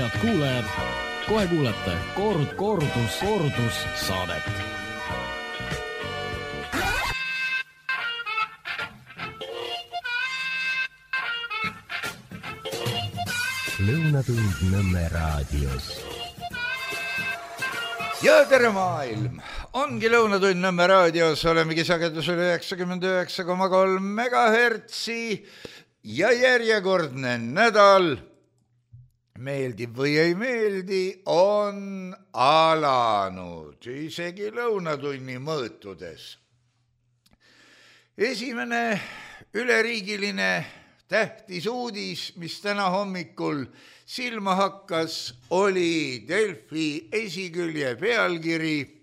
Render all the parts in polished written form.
Head kuulajad, kohe kuulete kordus saadet. Lõunatund Nõmme raadios. Ja tere maailm! Ongi Lõunatund Nõmme raadios, olemegi sagedusel 99,3 megahertsi ja järjekordne nädal, meeldib või ei meeldi, on alanud isegi lõunatunni mõõtudes. Esimene üleriigiline tähtis uudis, mis täna hommikul silma hakkas, oli Delfi esikülje pealkiri: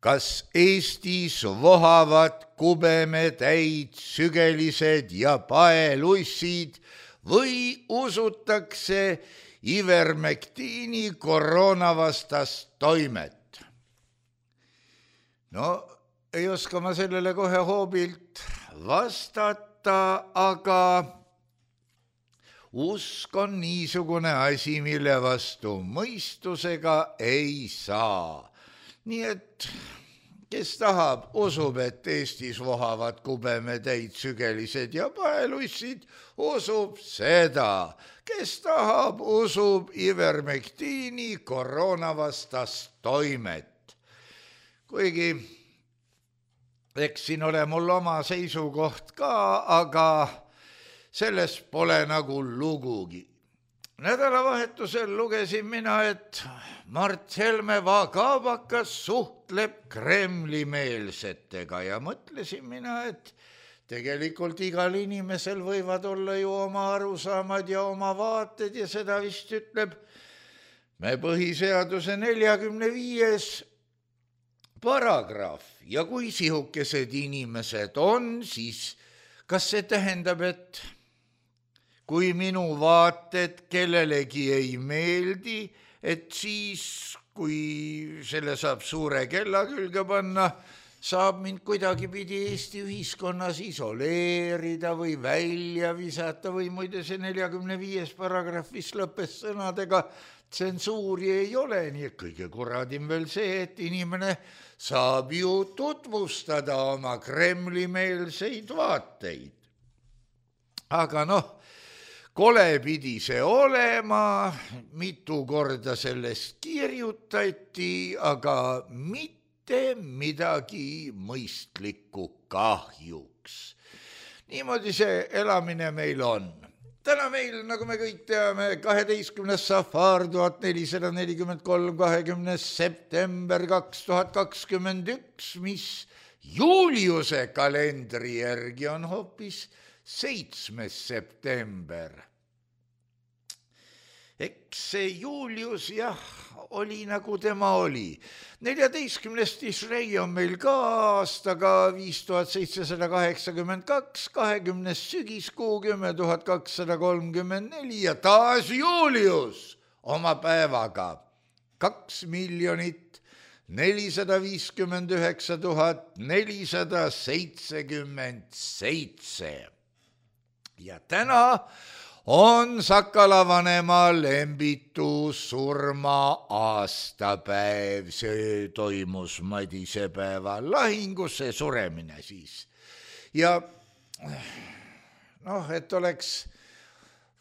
kas Eestis vohavad kubemetäid sügelised ja paelussid või usutakse ivermektiini koroonavastast toimet? No, ei oska ma sellele kohe hoobilt vastata, aga usk on niisugune asi, mille vastu mõistusega ei saa. Nii et kes tahab, usub, et Eestis vohavad kubemetäid sügelised ja paelussid, usub seda. Kes tahab, usub ivermektiini koroonavastast toimet. Kuigi eks siin ole mul oma seisukoht ka, aga sellest pole nagu lugugi. Nädalavahetusel lugesin mina, et Mart Helme vagabakas suhtleb Kremli-meelsetega ja mõtlesin mina, et tegelikult igal inimesel võivad olla ju oma arusaamad ja oma vaated ja seda vist ütleb me põhiseaduse 45. paragrahv. Ja kui sihukesed inimesed on, siis kas see tähendab, et kui minu vaated kellelegi ei meeldi, et siis, kui selle saab suure kella külge panna, saab mind kuidagipidi Eesti ühiskonnas isoleerida või välja visata või muide see 45. paragrahvis lõppes sõnadega: tsensuuri ei ole, nii et kõige kuradim veel see, et inimene saab ju tutvustada oma Kremli-meelseid vaateid. Aga kole pidi see olema, mitu korda sellest kirjutati, aga mitte midagi mõistlikku kahjuks. Niimoodi see elamine meil on. Täna meil, nagu me kõik teame, 12. safar 1443, 20. september 2021, mis Juliuse kalendri järgi on hoopis 7. september. Eks see Julius, jah, oli nagu tema oli. 14. Tishrei on meil ka aastaga 5782, 20. sügiskuu 10.234 ja taas Julius oma päevaga 2,049,477. Ja täna on Sakala vanema Lembitu surma aastapäev. See toimus Madisepäeva lahingus, see suremine siis. Ja et oleks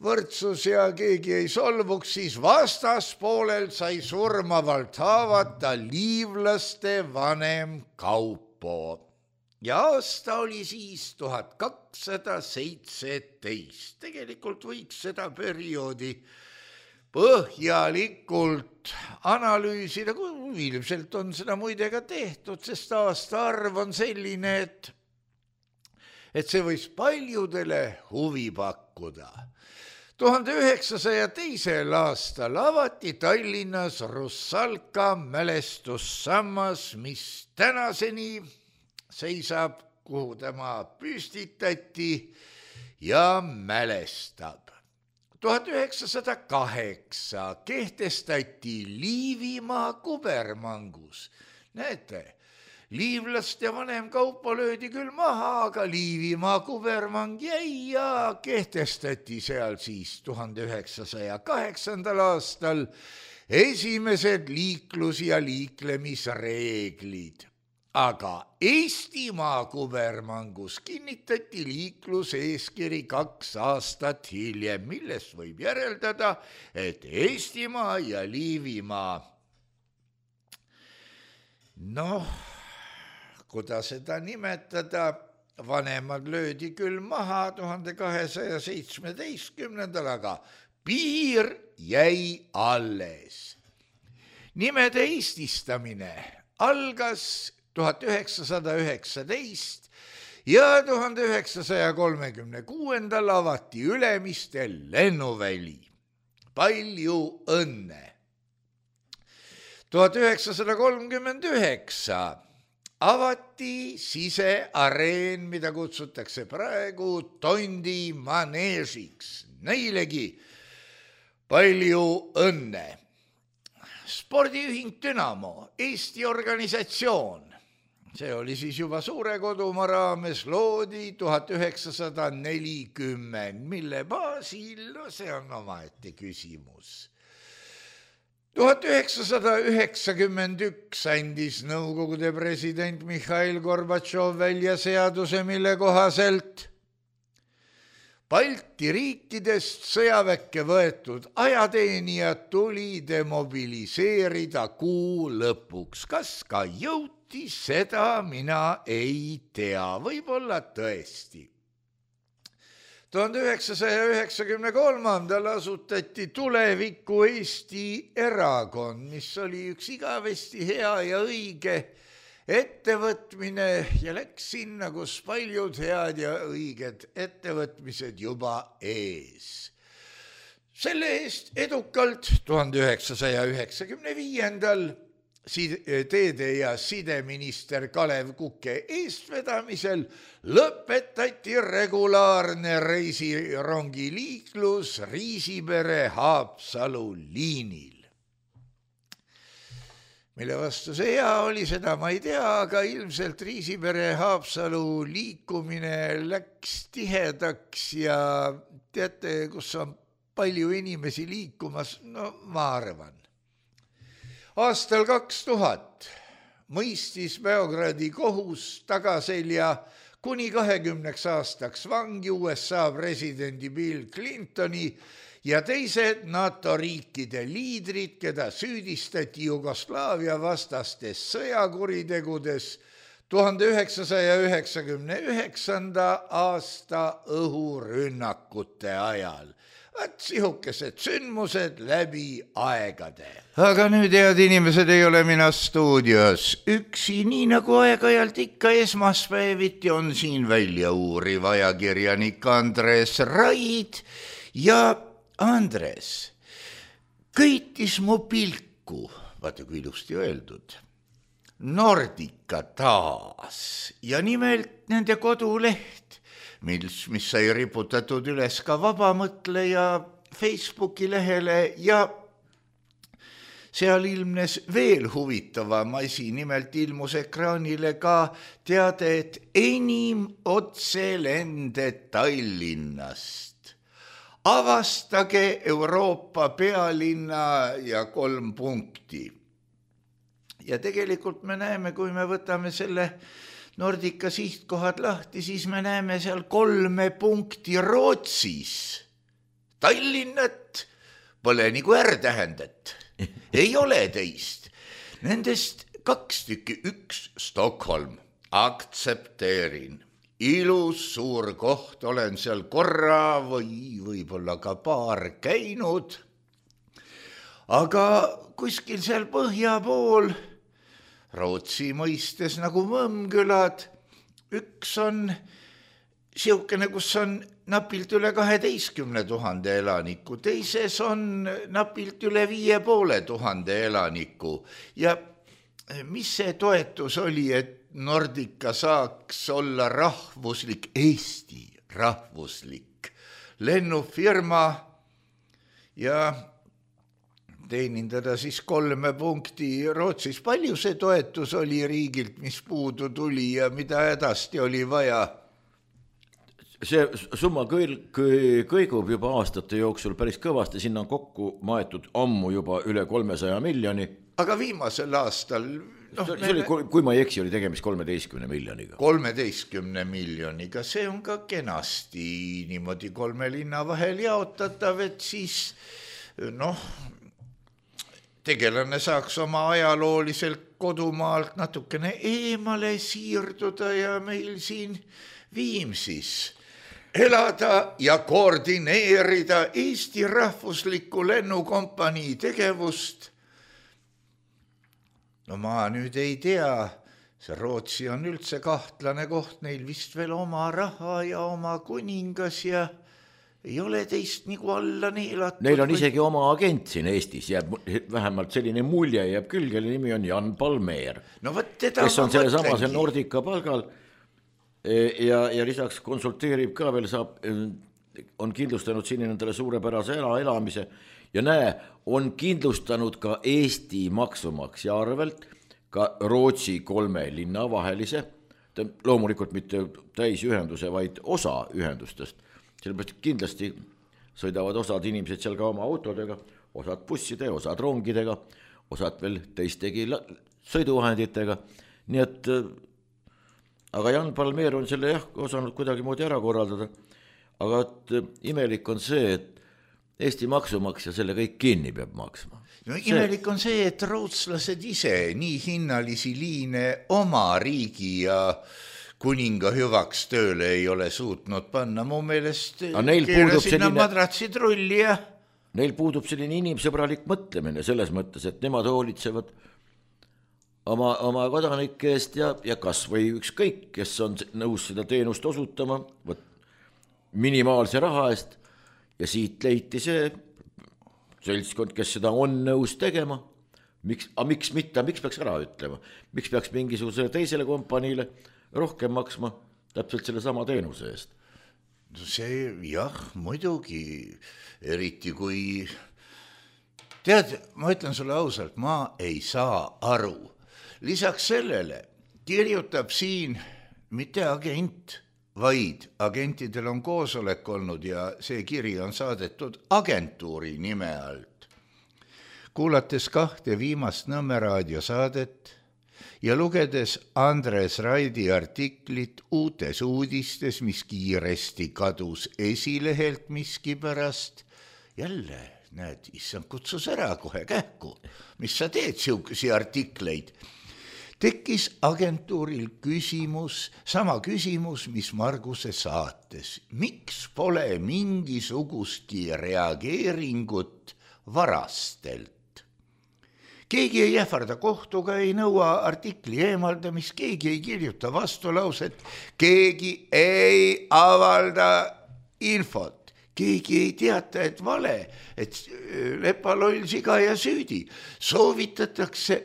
võrdsus ja keegi ei solvuks, siis vastaspoolel sai surmavalt haavata liivlaste vanem Kaupo. Ja aasta oli siis 1217. Tegelikult võiks seda perioodi põhjalikult analüüsida, kui ilmselt on seda muide ka tehtud, sest aastaarv on selline, et see võis paljudele huvi pakkuda. 1902. aastal avati Tallinnas Russalka mälestussammas, mis tänaseni seisab, kuhu tema püstitati ja mälestab. 1908 kehtestati Liivimaa kubermangus. Näete, Liivlaste vanem kaupa löödi küll maha, aga Liivimaa kubermang jäi ja kehtestati seal siis 1908. aastal esimesed liiklus- ja liiklemisreeglid. Aga Eestimaa kubermangus kinnitati liikluseeskiri 2 aastat hiljem, millest võib järeldada, et Eestimaa ja Liivimaa, kuidas seda nimetada, vanemad löödi küll maha 1217, aga piir jäi alles. Nimede eestistamine algas 1919 ja 1936 avati Ülemistel lennuväli. Palju õnne! 1939 avati siseareen, mida kutsutakse praegu Tondi maneežiks. Neilegi palju õnne! Spordiühing Dünamo, Eesti organisatsioon, see oli siis juba Suure Kodumaa raames, loodi 1940, mille baasil, see on omaette küsimus. 1991 andis Nõukogude president Mihhail Gorbatšov välja seaduse, mille kohaselt Balti riikidest sõjaväkke võetud ajateenijad tuli demobiliseerida kuu lõpuks. Kas ka jõuti, seda mina ei tea, võib-olla tõesti. 1993. asutati Tuleviku Eesti erakond, mis oli üks igavesti hea ja õige ettevõtmine ja läks sinna, kus paljud head ja õiged ettevõtmised juba ees. Selle eest edukalt 1995. teede- ja sideminister Kalev Kuke eestvedamisel lõpetati regulaarne reisirongiliiklus Riisipere-Haapsalu liinil. Mille vastu see hea oli, seda ma ei tea, aga ilmselt Riisipere-Haapsalu liikumine läks tihedaks ja teate, kus on palju inimesi liikumas, ma arvan. Aastal 2000 mõistis Beogradi kohus tagaselja kuni 20 aastaks vangi USA presidendi Bill Clintoni ja teised NATO riikide liidrid, keda süüdistati Jugoslaavia vastastes sõjakuritegudes 1999. aasta õhurünnakute ajal. Sihukesed sündmused läbi aegade. Aga nüüd, head inimesed, ei ole mina stuudios üksi, nii nagu aeg-ajalt ikka esmaspäeviti on siin välja uuriv ajakirjanik Andres Raid ja Andres köitis mu pilku, vaata kui ilusti öeldud, Nordica taas ja nimelt nende koduleht, mis sai riputatud üles ka Vabamõtleja Facebooki lehele ja seal ilmnes veel huvitavam asi, nimelt ilmus ekraanile ka teade, et enim otselende Tallinnast. Avastage Euroopa pealinna ja 3 punkti. Ja tegelikult me näeme, kui me võtame selle Nordica sihtkohad lahti, siis me näeme seal 3 punkti Rootsis. Tallinnat pole nagu R-tähendet. Ei ole teist. Nendest 2 tükki, 1 Stockholm, aktsepteerin. Ilus suur koht, olen seal korra või võib-olla ka paar käinud. Aga kuskil seal põhja pool, Rootsi mõistes nagu Mõmmkülad, üks on siukene, kus on napilt üle 12 000 elaniku, teises on napilt üle 5500 elaniku. Ja mis see toetus oli, et Nordica saaks olla rahvuslik, Eesti rahvuslik lennufirma ja teenindada siis 3 punkti Rootsis. Palju see toetus oli riigilt, mis puudu tuli ja mida hädasti oli vaja? See summa kõigub juba aastate jooksul päris kõvasti, sinna on kokku maetud ammu juba üle 300 miljoni. Aga viimasel aastal... see oli, kui ma ei eksi, oli tegemist 13 miljoniga. 13 miljoniga, see on ka kenasti niimoodi 3 linna vahel jaotatav, et siis tegelane saaks oma ajalooliselt kodumaalt natukene eemale siirduda ja meil siin Viimsis elada ja koordineerida Eesti rahvusliku lennukompanii tegevust. No ma nüüd ei tea, see Rootsi on üldse kahtlane koht, neil vist veel oma raha ja oma kuningas ja ei ole teist nagu alla neelatud. Neil on isegi oma agent siin Eestis, jääb vähemalt selline mulje jääb küll, kelle nimi on Jan Palmér, kes on selle samase Nordica palgal ja lisaks konsulteerib ka veel, on kindlustanud siin endale suurepärase elamise ja on kindlustanud ka Eesti maksumaksja arvelt ka Rootsi 3 linna vahelise, loomulikult mitte täisühenduse, vaid osa ühendustest. Sellepärast kindlasti sõidavad osad inimesed seal ka oma autodega, osad busside, osad rongidega, osad veel teistegi sõiduvahenditega. Nii et, aga Jan Palmér on selle osanud kuidagi moodi ära korraldada. Aga imelik on see, et Eesti maksumaksja selle kõik kinni peab maksma. No imelik on see, et rootslased ise nii hinnalisi liine oma riigi ja kuninga hüvaks tööle ei ole suutnud panna. Mu meelest keerasinna madratsid rulli ja... Neil puudub selline inimsõbralik mõtlemine selles mõttes, et nemad hoolitsevad oma kodanike eest ja kas või ükskõik, kes on nõus seda teenust osutama minimaalse raha eest ja siit leiti see seltskond, kes seda on nõus tegema. Miks peaks ära ütlema? Miks peaks mingisugusele teisele kompaniile rohkem maksma täpselt selle sama teenuse eest? See jah, muidugi, eriti kui tead, ma ütlen sulle ausalt, ma ei saa aru. Lisaks sellele kirjutab siin mitte agent, vaid agentidel on koosolek olnud ja see kiri on saadetud agentuuri nime alt. Kuulates 2 viimast Nõmme raadiosaadet ja lugedes Andres Raidi artiklit Uutes uudistes, mis kiiresti kadus esilehelt miskipärast, jälle, näed, issand kutsus ära kohe kähku, mis sa teed siukesi artikleid, tekkis agentuuril küsimus, sama küsimus, mis Marguse saates. Miks pole mingisugustki reageeringut varastelt? Keegi ei ähvarda kohtuga, ei nõua artikli eemaldamist, keegi ei kirjuta vastulauset, keegi ei avalda infot, keegi ei teata, et vale, et lepaloll siga ja süüdi.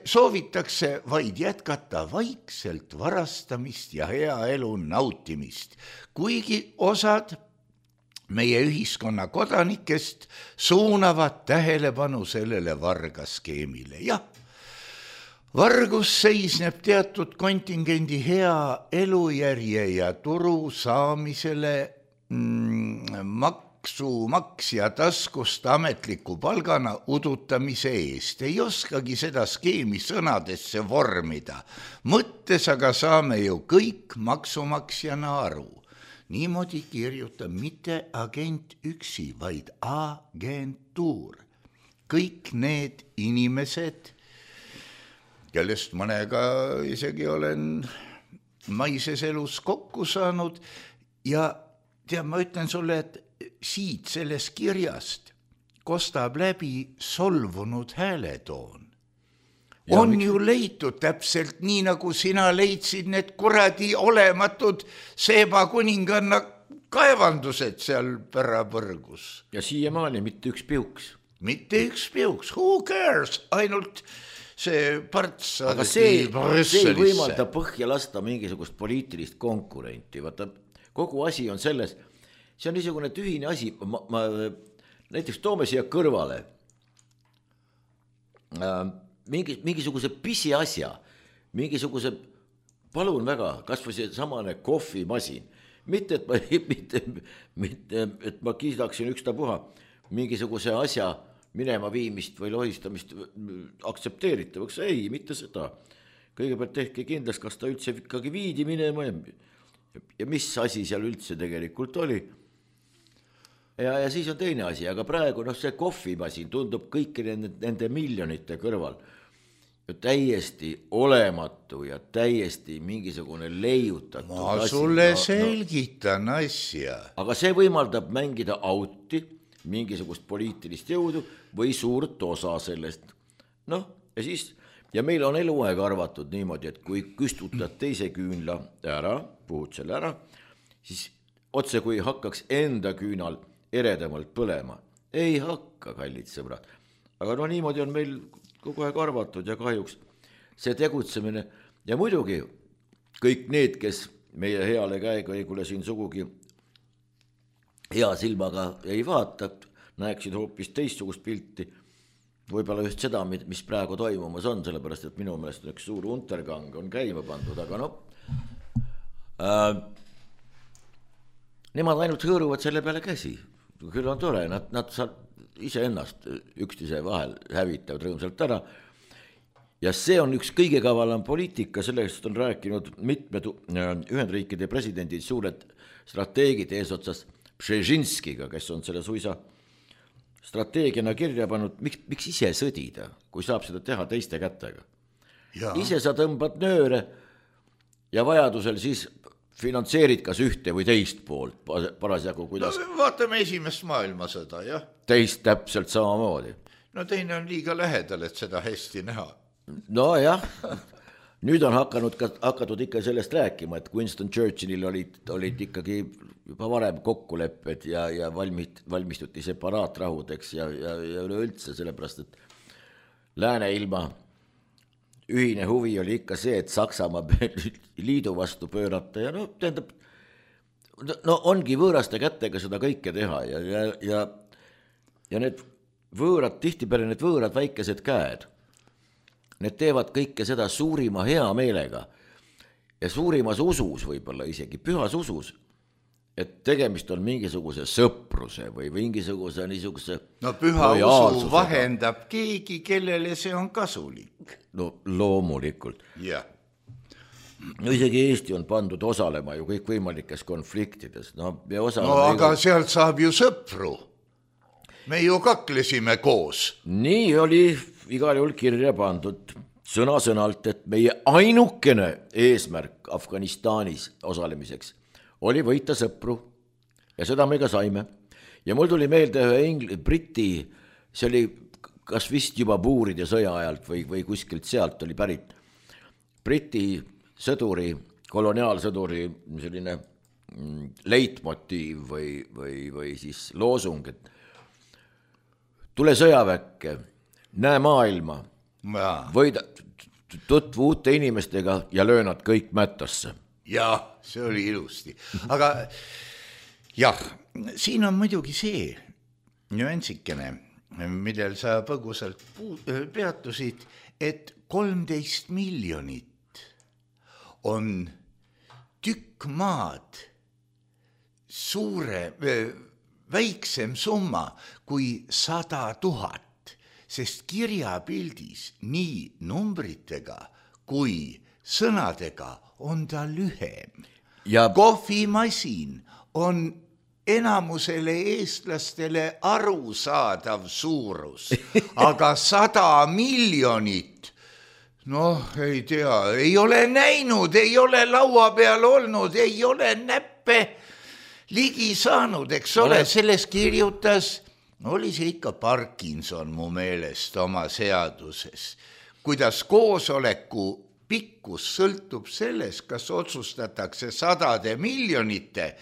Soovitakse vaid jätkata vaikselt varastamist ja hea elu nautimist, kuigi osad meie ühiskonna kodanikest suunavad tähelepanu sellele vargaskeemile. Jah, vargus seisneb teatud kontingendi hea elujärje ja turu saamisele maksumaksja taskust ametliku palgana udutamise eest. Ei oskagi seda skeemi sõnadesse vormida. Mõttes aga saame ju kõik maksumaksjana aru. Niimoodi kirjutab mitte agent üksi, vaid agentuur. Kõik need inimesed, kellest mõnega isegi olen maises elus kokku saanud ja tead, ma ütlen sulle, et siit sellest kirjast kostab läbi solvunud hääletoon. On ju leitud täpselt nii, nagu sina leidsid need kuradi olematud Seeba kuninganna kaevandused seal pärapõrgus. Ja siiamaani mitte üks piuks. Mitte üks piuks. Who cares? Ainult see parts. Aga see ei võimalda põhja lasta mingisugust poliitilist konkurenti. Vaata, kogu asi on selles, see on niisugune tühine asi. Näiteks toome siia kõrvale. mingisuguse pisiasja, mingisuguse, palun väga, kas või see samane kohvimasin, mitte et ma kiidaksin ükstapuha mingisuguse asja minema viimist või lohistamist aktsepteeritavaks, ei, mitte seda. Kõigepealt tehke kindlaks, kas ta üldse ikkagi viidi minema ja mis asi seal üldse tegelikult oli. Ja siis on teine asi, aga praegu see kohvimasin tundub kõiki nende miljonite kõrval täiesti olematu ja täiesti mingisugune leiutatud ma sulle selgitan asja. Aga see võimaldab mängida auti, mingisugust poliitilist jõudu või suurt osa sellest. Ja meil on eluaeg arvatud niimoodi, et kui küstutad teise küünla ära, puhud selle ära, siis otse kui hakkaks enda küünal eredamalt põlema. Ei hakka, kallid sõbrad. Aga niimoodi on meil kogu aeg arvatud ja kahjuks see tegutsemine ja muidugi kõik need, kes meie heale käekäigule siin sugugi hea silmaga ei vaata, näeksid hoopis teistsugust pilti, võib-olla just seda, mis praegu toimumas on, sellepärast, et minu meelest üks suur untergang on käima pandud, aga nemad ainult hõõruvad selle peale käsi. Küll on tore, nad ise ennast üksteise vahel hävitavad rõõmsalt ära. Ja see on üks kõige kavalam poliitika, sellest on rääkinud mitmed Ühendriikide presidendid, suured strateegid eesotsas Brzezinskiga, kes on selle suisa strateegiana kirja pannud, miks ise sõdida, kui saab seda teha teiste kätega. Ja. Ise sa tõmbad nööre ja vajadusel siis finantseerid kas ühte või teist poolt parasjagu, kuidas... vaatame esimest maailmasõda, jah. Teist täpselt samamoodi. Teine on liiga lähedal, et seda hästi näha. Jah, nüüd on hakatud ikka sellest rääkima, et Winston Churchillil olid ikkagi juba varem kokkulepped ja valmistuti separaatrahudeks ja üleüldse sellepärast, et Lääne-ilma ühine huvi oli ikka see, et Saksamaa liidu vastu pöörata ja tähendab, ongi võõraste kätega seda kõike teha ja need võõrad, tihtipeale need võõrad väikesed käed, need teevad kõike seda suurima hea meelega ja suurimas usus võib-olla isegi, pühas usus, et tegemist on mingisuguse sõpruse või mingisuguse niisuguse püha usu vahendab keegi, kellele see on kasulik. Loomulikult. Yeah. Isegi Eesti on pandud osalema ju kõikvõimalikes konfliktides. Aga sealt saab ju sõpru. Me ju kaklesime koos. Nii oli igal juhul kirja pandud sõna-sõnalt, et meie ainukene eesmärk Afganistanis osalemiseks oli võita sõpru ja seda me ka saime. Ja mul tuli meelde ühe Briti, see oli kas vist juba buuride sõja ajalt või kuskilt sealt oli pärit. Briti sõduri, koloniaalsõduri selline leitmotiiv või siis loosung, et tule sõjaväkke, näe maailma, võida, tutvu uute inimestega ja löö nad kõik mättasse. Jah, see oli ilusti. Aga jah, siin on muidugi see nüansikene, millel sa põgusalt peatusid, et 13 miljonit on tükk maad väiksem summa kui 100 000, sest kirjapildis nii numbritega kui sõnadega on ta lühem. Ja kohvimasin on enamusele eestlastele arusaadav suurus, aga 100 miljonit, ei tea, ei ole näinud, ei ole laua peal olnud, ei ole näppe ligi saanud, eks ole, selles kirjutas, oli see ikka Parkinson mu meelest oma seaduses, kuidas koosoleku pikkus sõltub sellest, kas otsustatakse 100 miljonite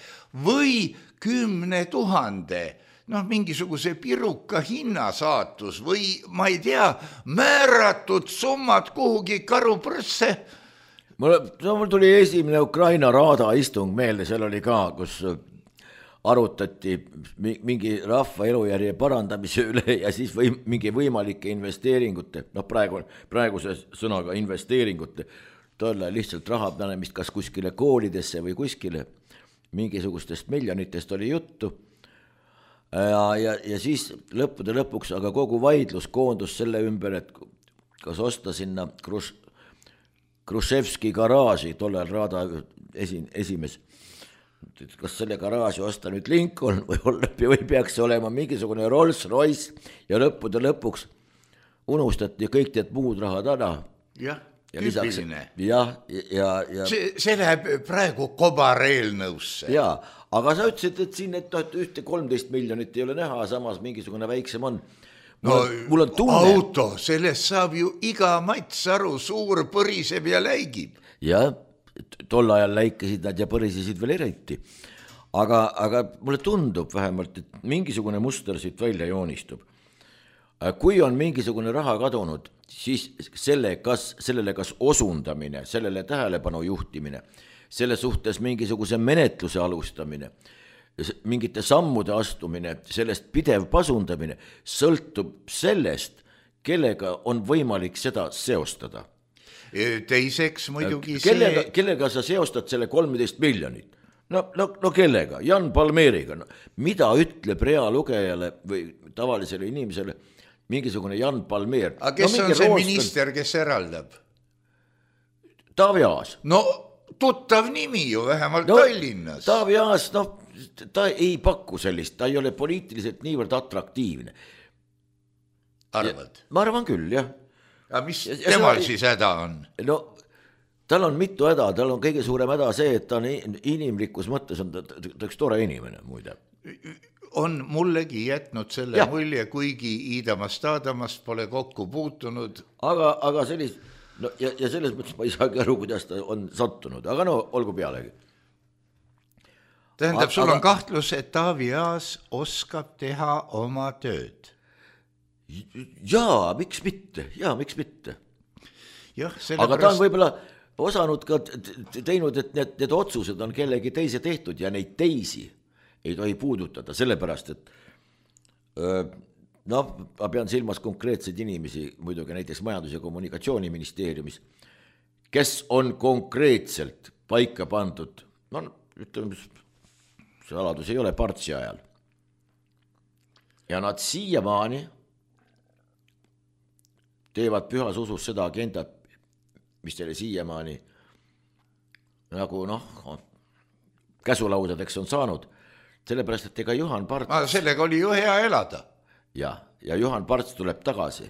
või 10 000, mingisuguse piruka hinnasaatus või ma ei tea, määratud summad kuhugi karuprõsse. Mul tuli esimene Ukraina raada istung meelde, seal oli ka, kus arutati mingi rahva elujärje parandamise üle ja siis mingi võimalike investeeringute, noh praeguse sõnaga investeeringute, tolle lihtsalt raha panemist kas kuskile koolidesse või kuskile, mingisugustest miljonitest oli juttu. Ja siis lõppude lõpuks, aga kogu vaidlus koondus selle ümber, et kas osta sinna Khrushchevski garaaži, tollel Raada esimees, kas selle garaaži osta nüüd Lincoln või peaks olema mingisugune Rolls Royce ja lõppude lõpuks unustati kõik need muud rahad ära. Jah, tüüpiline. Ja see läheb praegu kobareelnõusse. Jaa, aga sa ütlesid, et siin et 13 miljonit ei ole näha, samas mingisugune väiksem on. Mul on tunne. Auto, sellest saab ju iga mats aru, suur põriseb ja läigib. Jah. Tol ajal läikesid nad ja põrisesid veel eriti. Aga mulle tundub vähemalt, et mingisugune muster siit välja joonistub. Kui on mingisugune raha kadunud, siis sellele kas osundamine, sellele tähelepanu juhtimine, selle suhtes mingisuguse menetluse alustamine, mingite sammude astumine, sellest pidev pasundamine sõltub sellest, kellega on võimalik seda seostada. Teiseks muidugi kellega sa seostad selle 13 miljonit? No kellega? Jan Palmeeriga. Mida ütleb reaalugejale või tavalisele inimesele mingisugune Jan Palmeer? Aga kes on see minister, kes eraldab? Taavi Aas. No tuttav nimi ju vähemalt Tallinnas. Taavi Aas, ta ei paku sellist, ta ei ole poliitiliselt niivõrd atraktiivne. Arvad? Ma arvan küll, jah. Aga mis temal siis häda on? No tal on mitu häda, tal on kõige suurem häda see, et ta on inimlikus mõttes on ta üks tore inimene muide. On mullegi jätnud selle mulje, kuigi Iidamast Aadamast pole kokku puutunud. Aga ja selles mõttes ma ei saagi aru, kuidas ta on sattunud, aga olgu pealegi. Tähendab, sul on kahtlus, et Taavi Aas oskab teha oma tööd. Jaa, miks mitte? Aga ta on võib-olla osanud ka teinud, et need otsused on kellegi teise tehtud ja neid teisi ei tohi puudutada, sellepärast, et ma pean silmas konkreetseid inimesi, muidugi näiteks Majandus- ja Kommunikatsiooniministeeriumis, kes on konkreetselt paika pandud, ütleme, saladus ei ole Partsi ajal. Ja nad siiamaani teevad pühas usus seda agendat, mis teile siiamaani nagu käsulaudadeks on saanud, sellepärast, et ega Juhan Parts... sellega oli ju hea elada. Ja Juhan Parts tuleb tagasi.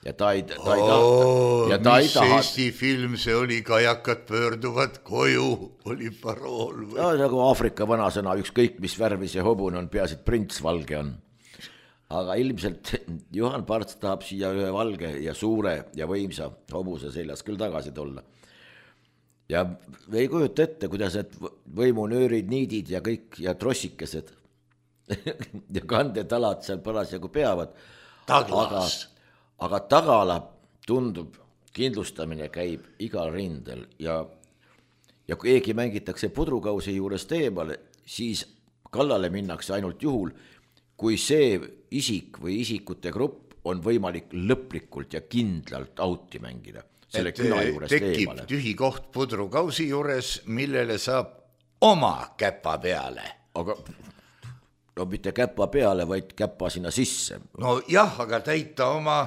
Ja ta ei mis Eesti film see oli, kajakad pöörduvad koju, oli parool või? Nagu Aafrika vanasõna, ükskõik mis värvis ja hobune on, peaasi, et prints valge on. Aga ilmselt Juhan Parts tahab siia ühe valge ja suure ja võimsa hobuse seljas küll tagasi tulla. Ja ei kujuta ette, kuidas need võimunöörid, niidid ja kõik ja trossikesed ja kandetalad seal parasjagu peavad. Aga tagala tundub, kindlustamine käib igal rindel ja kui keegi mängitakse pudrukausi juurest eemale, siis kallale minnakse ainult juhul, kui see isik või isikute grupp on võimalik lõplikult ja kindlalt auti mängida. Selle küla juurest tekib eemale. Tühi koht pudrukausi juures, millele saab oma käpa peale. Aga mitte käpa peale, vaid käpa sinna sisse. No jah, aga täita oma,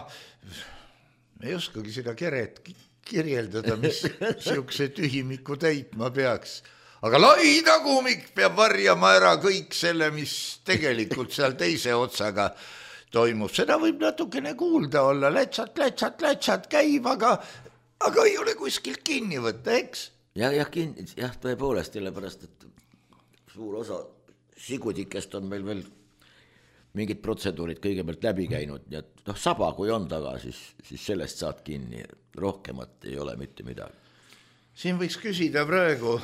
ei oskagi seda keret kirjeldada, mis siukse tühimiku täitma peaks. Aga lai tagumik peab varjama ära kõik selle, mis tegelikult seal teise otsaga toimub. Seda võib natukene kuulda olla, lätsat käib, aga ei ole kuskilt kinni võtta, eks? Jah, tõepoolest, sellepärast, et suur osa sigutikest on meil veel mingid protseduurid kõigepealt läbi käinud, ja saba kui on taga, siis sellest saad kinni, rohkemat ei ole mitte midagi. Siin võiks küsida praegu,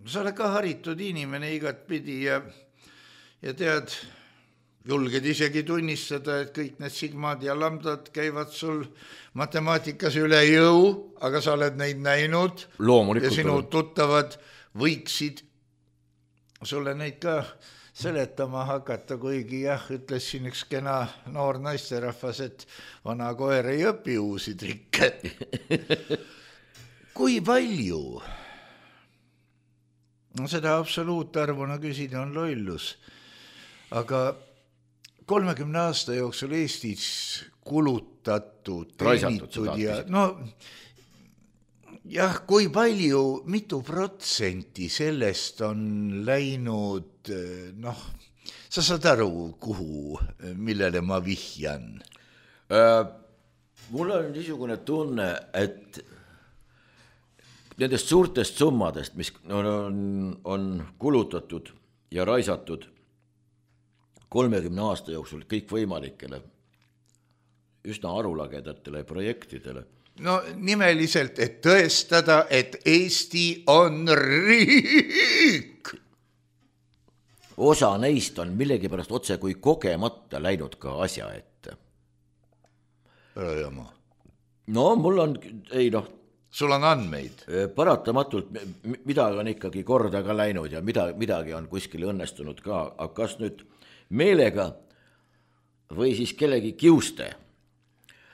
sa oled ka haritud inimene igat pidi ja tead, julged isegi tunnistada, et kõik need sigmad ja lambdad käivad sul matemaatikas üle jõu, aga sa oled neid näinud. Loomulikult. Ja sinu tuttavad võiksid sulle neid ka seletama hakata, kuigi jah, ütles siin üks kena noor naisterahvas, et vana koer ei õpi uusi trikke. Kui palju? No seda absoluutarvuna küsida on lollus, aga 30 aasta jooksul Eestis kulutatud, teenitud ja jah, kui palju, mitu protsenti sellest on läinud, sa saad aru, kuhu, millele ma vihjan? Mul on niisugune tunne, et nendest suurtest summadest, mis on kulutatud ja raisatud 30 aasta jooksul kõikvõimalikele üsna arulagedatele projektidele. No nimeliselt, et tõestada, et Eesti on riik. Osa neist on millegipärast otse kui kogemata läinud ka asja ette. Ära jama. No mul on, sul on andmeid? Paratamatult midagi on ikkagi korda ka läinud ja midagi on kuskil õnnestunud ka, aga kas nüüd meelega või siis kellegi kiuste?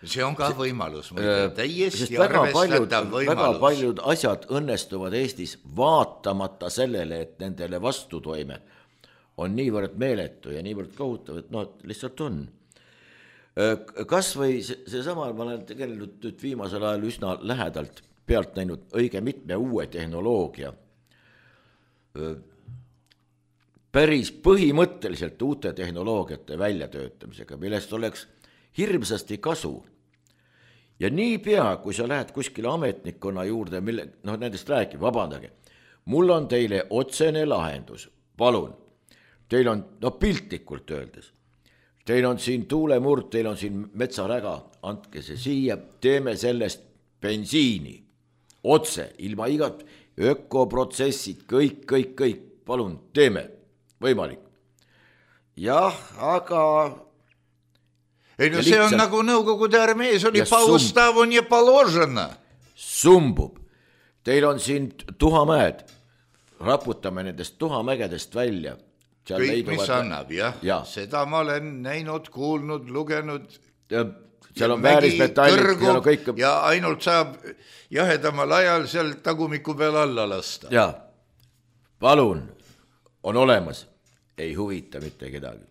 See on ka võimalus, täiesti arvestatav võimalus. Väga paljud asjad õnnestuvad Eestis vaatamata sellele, et nendele vastutoime on niivõrd meeletu ja niivõrd kohutav, et lihtsalt on. Kas või seesama, ma olen tegelikult nüüd viimasel ajal üsna lähedalt pealt näinud õige mitme uue tehnoloogia, päris põhimõtteliselt uute tehnoloogiate väljatöötamisega, millest oleks hirmsasti kasu. Ja niipea, kui sa lähed kuskile ametnikkonna juurde, nendest räägib, vabandage, mul on teile otsene lahendus, palun, teil on, piltlikult öeldes, teil on siin tuulemurd, teil on siin metsaräga, andke see siia, teeme sellest bensiini, otse, ilma igat ökoprotsessid, kõik, palun, teeme, võimalik. Jah, aga... Ei, no see on nagu Nõukogude armees oli paustavonje položena. Sumbub. Teil on siin tuhamäed. Raputame nendest tuhamägedest välja. Kõik, mis annab, jah. Seda ma olen näinud, kuulnud, lugenud. Seal on väärismetallid. Ja ainult saab jahedamal ajal seal tagumiku peal alla lasta. Ja, palun, on olemas. Ei huvita mitte kedagi.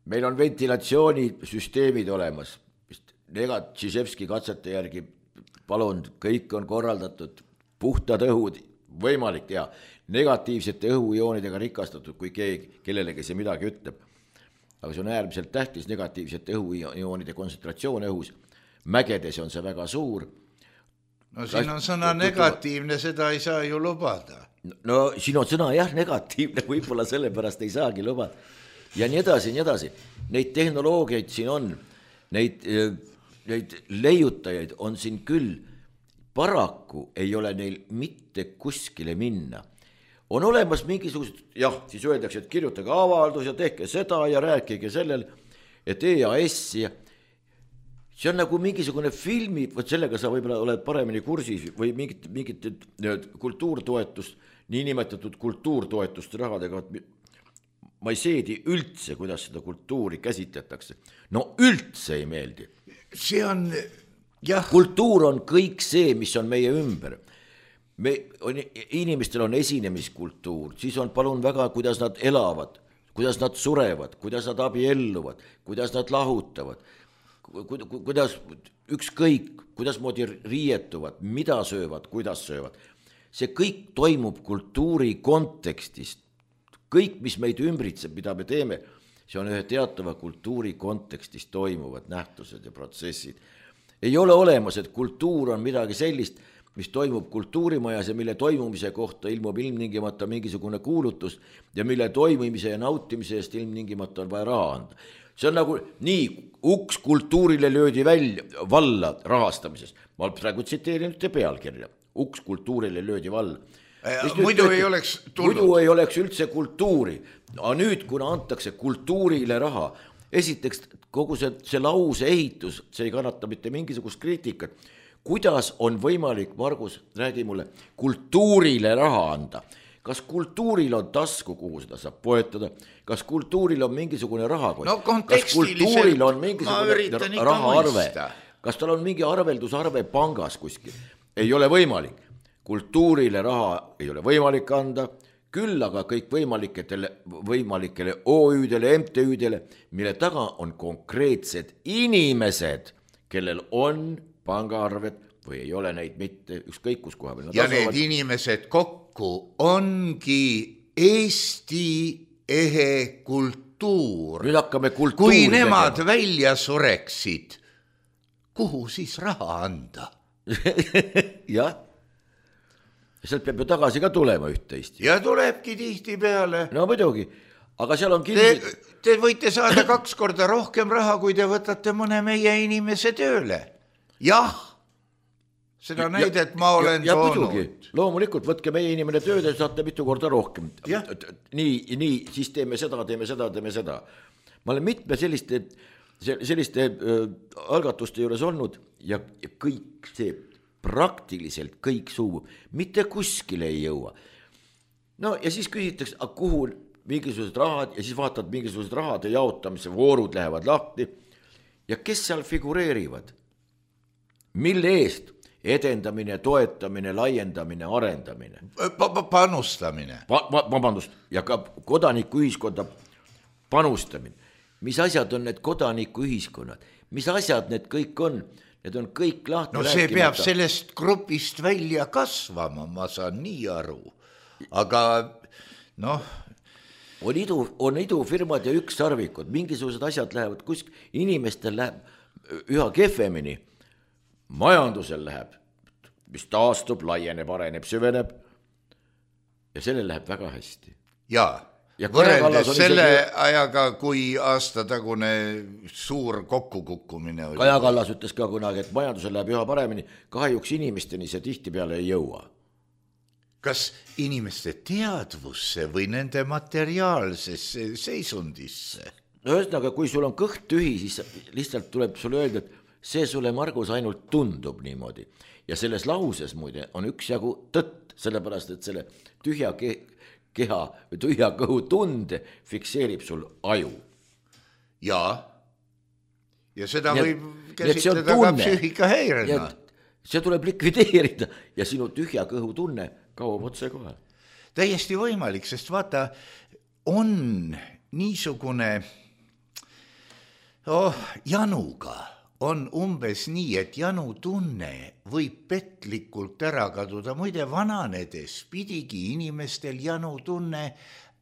Meil on ventilatsioonisüsteemid olemas, Tšiževski katsete järgi, palun, kõik on korraldatud, puhtad õhud, võimalik teha, negatiivsete õhujoonidega rikastatud, kui kellelegi see midagi ütleb. Aga see on äärmiselt tähtis, negatiivsete õhujoonide kontsentratsioon õhus, mägedes on see väga suur. No siin on sõna negatiivne, seda ei saa ju lubada. No siin on sõna jah negatiivne, võib-olla sellepärast ei saagi lubada. Ja nii edasi. Neid tehnoloogiaid siin on, neid leiutajaid on siin küll, paraku ei ole neil mitte kuskile minna. On olemas mingisugused, siis öeldakse, et kirjutage avaldus ja tehke seda ja rääkige sellel, et EAS ja see on nagu mingisugune filmi, sellega sa võib-olla oled paremini kursis või mingit kultuurtoetust, niinimetatud kultuurtoetust rahadega, ma ei seedi üldse, kuidas seda kultuuri käsitletakse. No üldse ei meeldi. See on, jah. Kultuur on kõik see, mis on meie ümber. Inimestel on esinemiskultuur, siis on palun väga, kuidas nad elavad, kuidas nad surevad, kuidas nad abielluvad, kuidas nad lahutavad, kuidas ükskõik, kuidas moodi riietuvad, mida söövad, kuidas söövad. See kõik toimub kultuuri kontekstist. Kõik, mis meid ümbritseb, mida me teeme, see on ühe teatava kultuuri kontekstis toimuvad nähtused ja protsessid. Ei ole olemas, et kultuur on midagi sellist, mis toimub kultuurimajas ja mille toimumise kohta ilmub ilmningimata mingisugune kuulutus ja mille toimimise ja nautimise eest ilmningimata on vaja raha anda. See on nagu nii, uks kultuurile löödi valla rahastamises. Ma praegu tsiteerin ühte pealkirja. Uks kultuurile löödi valla. Muidu ei oleks tulnud. Muidu ei oleks üldse kultuuri. Aga nüüd, kuna antakse kultuurile raha, esiteks kogu see lause ehitus, see ei kannata mitte mingisugust kriitikat. Kuidas on võimalik, Margus, räägi mulle, kultuurile raha anda? kas kultuuril on tasku, kuhu seda saab poetada, kas kultuuril on mingisugune rahakott, no, kas kultuuril on mingisugune rahaarve, kas tal on mingi arveldusarve pangas kuskil, ei ole võimalik. Kultuurile raha ei ole võimalik anda, küll aga kõik võimalikele OÜ-dele, MTÜ-dele, mille taga on konkreetsed inimesed, kellel on pangaarved või ei ole neid mitte, ükskõik kus koha peal. Ja need inimesed kokku ongi Eesti ehe kultuur. Nüüd hakkame kultuuri kui nemad tegema. Välja sureksid, kuhu siis raha anda? jah, sealt peab ju tagasi ka tulema üht-teist. Ja tulebki tihti peale. No muidugi, aga seal on Te võite saada 2 korda rohkem raha, kui te võtate mõne meie inimese tööle. Jah, seda näidet ma olen toonud. Loomulikult, võtke meie inimene tööle, saate mitu korda rohkem. Nii, siis teeme seda. Ma olen mitme selliste algatuste juures olnud ja kõik see, praktiliselt kõik suu, mitte kuskile ei jõua. No ja siis küsitakse, kuhu mingisugused rahad ja siis vaatad mingisugused rahade jaotamise voorud lähevad lahti ja kes seal figureerivad? Mille eest? Edendamine, toetamine, laiendamine, arendamine. Panustamine. Vabandust, ja ka kodanikuühiskonda panustamine. Mis asjad on need kodanikuühiskonnad? Mis asjad need kõik on? Need on kõik lahti rääkimata. No see peab sellest grupist välja kasvama, ma saan nii aru. Aga noh... On idufirmad ja ükssarvikud, mingisugused asjad lähevad kuskil, inimestel läheb üha kehvemini, majandusel läheb, mis taastub, laieneb, areneb, süveneb ja sellel läheb väga hästi. Jaa, võrreldes selle ajaga, kui aastatagune suur kokkukukkumine oli. Kaja Kallas ütles ka kunagi, et majandusel läheb üha paremini, kahjuks inimesteni see tihti peale ei jõua. Kas inimeste teadvusse või nende materiaalsesse seisundisse? No ühesõnaga, kui sul on kõht tühi, siis lihtsalt tuleb sulle öelda, et see sulle, Margus, ainult tundub niimoodi. Ja selles lauses muide on üksjagu tõtt, sellepärast, et selle tühja keha või tühja kõhu tunde fikseerib sul aju. Jaa. Ja seda võib käsitleda ka psüühikahäirena. See tuleb likvideerida ja sinu tühja kõhu tunne kaob otse kohe. Täiesti võimalik, sest vaata, on niisugune januga on umbes nii, et janu tunne võib petlikult ära kaduda. Muide, vananedes pidigi inimestel janu tunne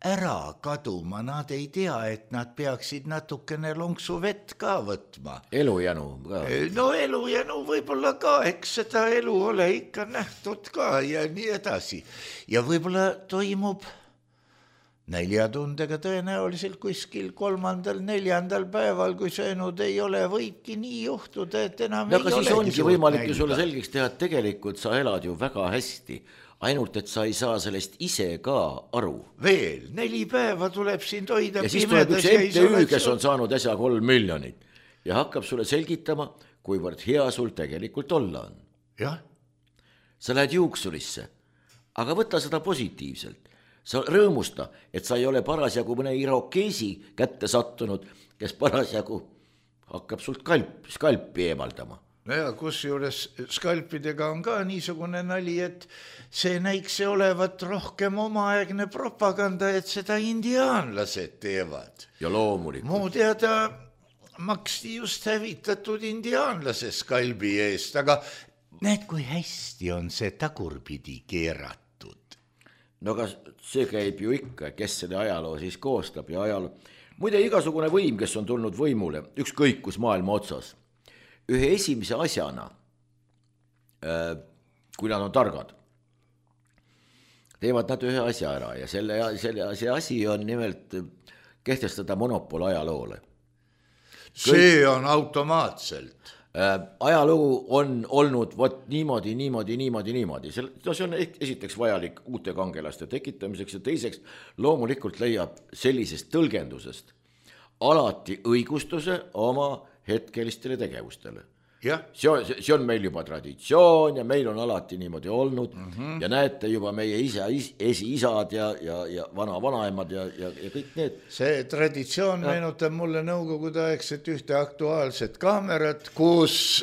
ära kaduma. Nad ei tea, et nad peaksid natukene lonksu vett ka võtma. Elujanu ka. No elujanu võib-olla ka, eks seda elu ole ikka nähtud ka ja nii edasi. Ja võib-olla toimub näljatundega tõenäoliselt kuskil 3.–4. päeval, kui söönud ei ole, võibki nii juhtuda, et enam ei olegi. Aga siis ongi võimalik ju sulle selgeks teha, et tegelikult sa elad ju väga hästi, ainult et sa ei saa sellest ise ka aru. Veel 4 päeva tuleb sind hoida ja siis tuleb üks MTÜ, kes on saanud äsja 3 miljonit ja hakkab sulle selgitama, kuivõrd hea sul tegelikult olla on. Jah. Sa lähed juuksurisse, aga võta seda positiivselt. Sa rõõmusta, et sa ei ole parasjagu mõne irokeesi kätte sattunud, kes parasjagu hakkab sult skalpi eemaldama. Ja kus juures skalpidega on ka niisugune nali, et see näikse olevat rohkem omaaegne propaganda, et seda indiaanlased teevad. Ja loomulikult. Mu teada maksti just hävitatud indiaanlase skalbi eest, aga näed, kui hästi on see tagurpidi keeratud. No aga see käib ju ikka, kes selle ajaloo siis koostab ja ajaloo. Muide, igasugune võim, kes on tulnud võimule, ükskõik kus maailma otsas, ühe esimese asjana, kui nad on targad, teevad nad ühe asja ära ja see asi on nimelt kehtestada monopol ajaloole. See on automaatselt. Ajalugu on olnud niimoodi. See on esiteks vajalik uute kangelaste tekitamiseks ja teiseks loomulikult leiab sellisest tõlgendusest alati õigustuse oma hetkelistele tegevustele. see on meil juba traditsioon ja meil on alati niimoodi olnud ja näete juba meie esiisad ja vanaemad ja kõik need. See traditsioon meenutab mulle nõukogudeaegset ühte aktuaalset kaamerat, kus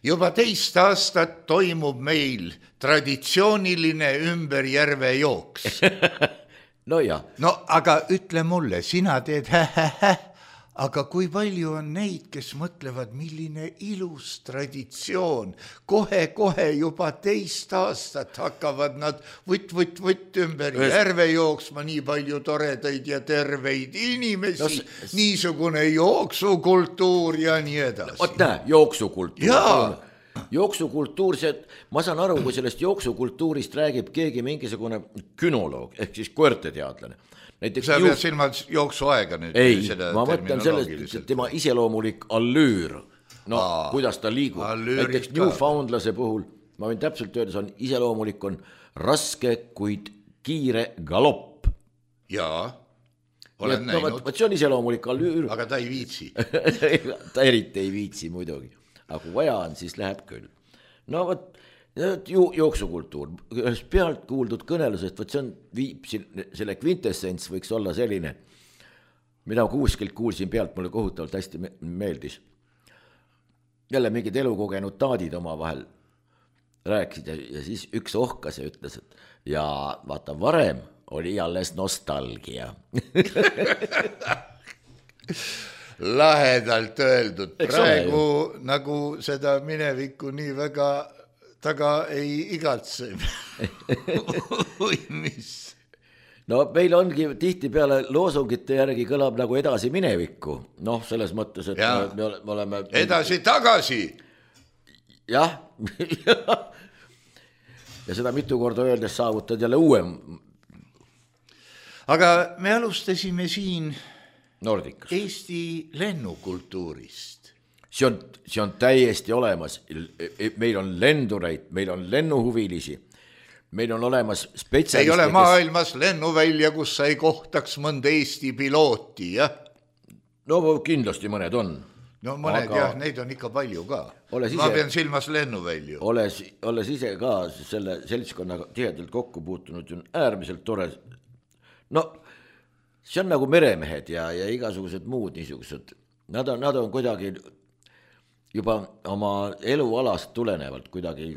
juba 2 aastat toimub meil traditsiooniline ümber järve jooks. No jah. No aga ütle mulle, sina teed aga kui palju on neid, kes mõtlevad, milline ilus traditsioon. Kohe juba 2 aastat hakkavad nad võtt ümber järve jooksma, nii palju toredaid ja terveid inimesi, niisugune jooksukultuur ja nii edasi. Oot näe, jooksukultuur, ma saan aru, kui sellest jooksukultuurist räägib keegi mingisugune künoloog ehk siis koerteteadlane. Sa pead silmas jooksuaega nüüd? Ei, ma mõtlen sellest, tema iseloomulik allüür, kuidas ta liigub. Näiteks Newfoundlase puhul, ma võin täpselt öelda, see on iseloomulik, on raske, kuid kiire galopp. Jaa, olen näinud. See on iseloomulik allüür. Aga ta ei viitsi. Ta eriti ei viitsi muidugi. Aga kui vaja on, siis läheb küll. No võt, jooksukultuur, pealt kuuldud kõnelusest, see on selle kvintessents võiks olla selline, mida kuskilt kuulsin pealt, mulle kohutavalt hästi meeldis. Jälle mingid elukogenud taadid oma vahel rääkisid ja siis üks ohkas ja ütles, et ja vaata, varem oli alles nostalgia. Lahedalt öeldud, praegu nagu seda minevikku nii väga taga ei igatse. Või mis? No meil ongi tihti peale loosungite järgi kõlab nagu edasi minevikku. Noh, selles mõttes, et me oleme... Edasi tagasi! Jah. Ja seda mitu korda öeldes saavutad jälle uuem. Aga me alustasime siin Nordikas. Eesti lennukultuurist. See on täiesti olemas. Meil on lendureid, meil on lennuhuvilisi, meil on olemas spetsialiste. Ei ole maailmas lennuvälja, kus sa ei kohtaks mõnda Eesti pilooti, jah? No kindlasti mõned on. No mõned jah, neid on ikka palju ka. Ma pean silmas lennuvälju. Olles ise ka selle seltskonnaga tihedalt kokku puutunud, on äärmiselt tore. No see on nagu meremehed ja igasugused muud niisugused. Nad on kuidagi juba oma elualast tulenevalt kuidagi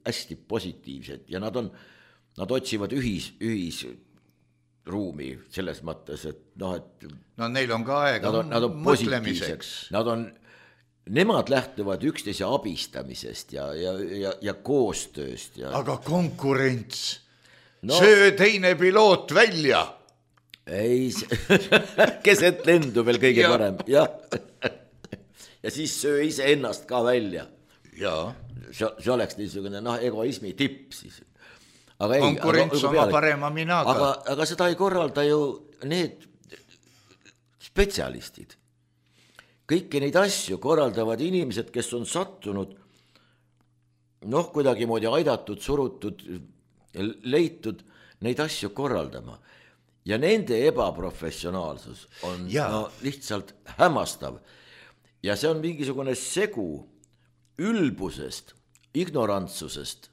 hästi positiivsed ja nad otsivad ühisruumi selles mõttes, et no neil on ka aega nad on mõtlemiseks. Nemad lähtuvad üksteise abistamisest ja koostööst. Aga konkurents, söö teine piloot välja. Ei, keset lendu veel kõige parem, jah. Ja siis söö ise ennast ka välja. Jaa. See oleks niisugune egoismi tipp siis. Konkurents oma parema minaga. Aga seda ei korralda ju need spetsialistid. Kõiki neid asju korraldavad inimesed, kes on sattunud kuidagi moodi aidatud, surutud, leitud neid asju korraldama. Ja nende ebaprofessionaalsus on lihtsalt hämmastav. Ja see on mingisugune segu ülbusest, ignorantsusest,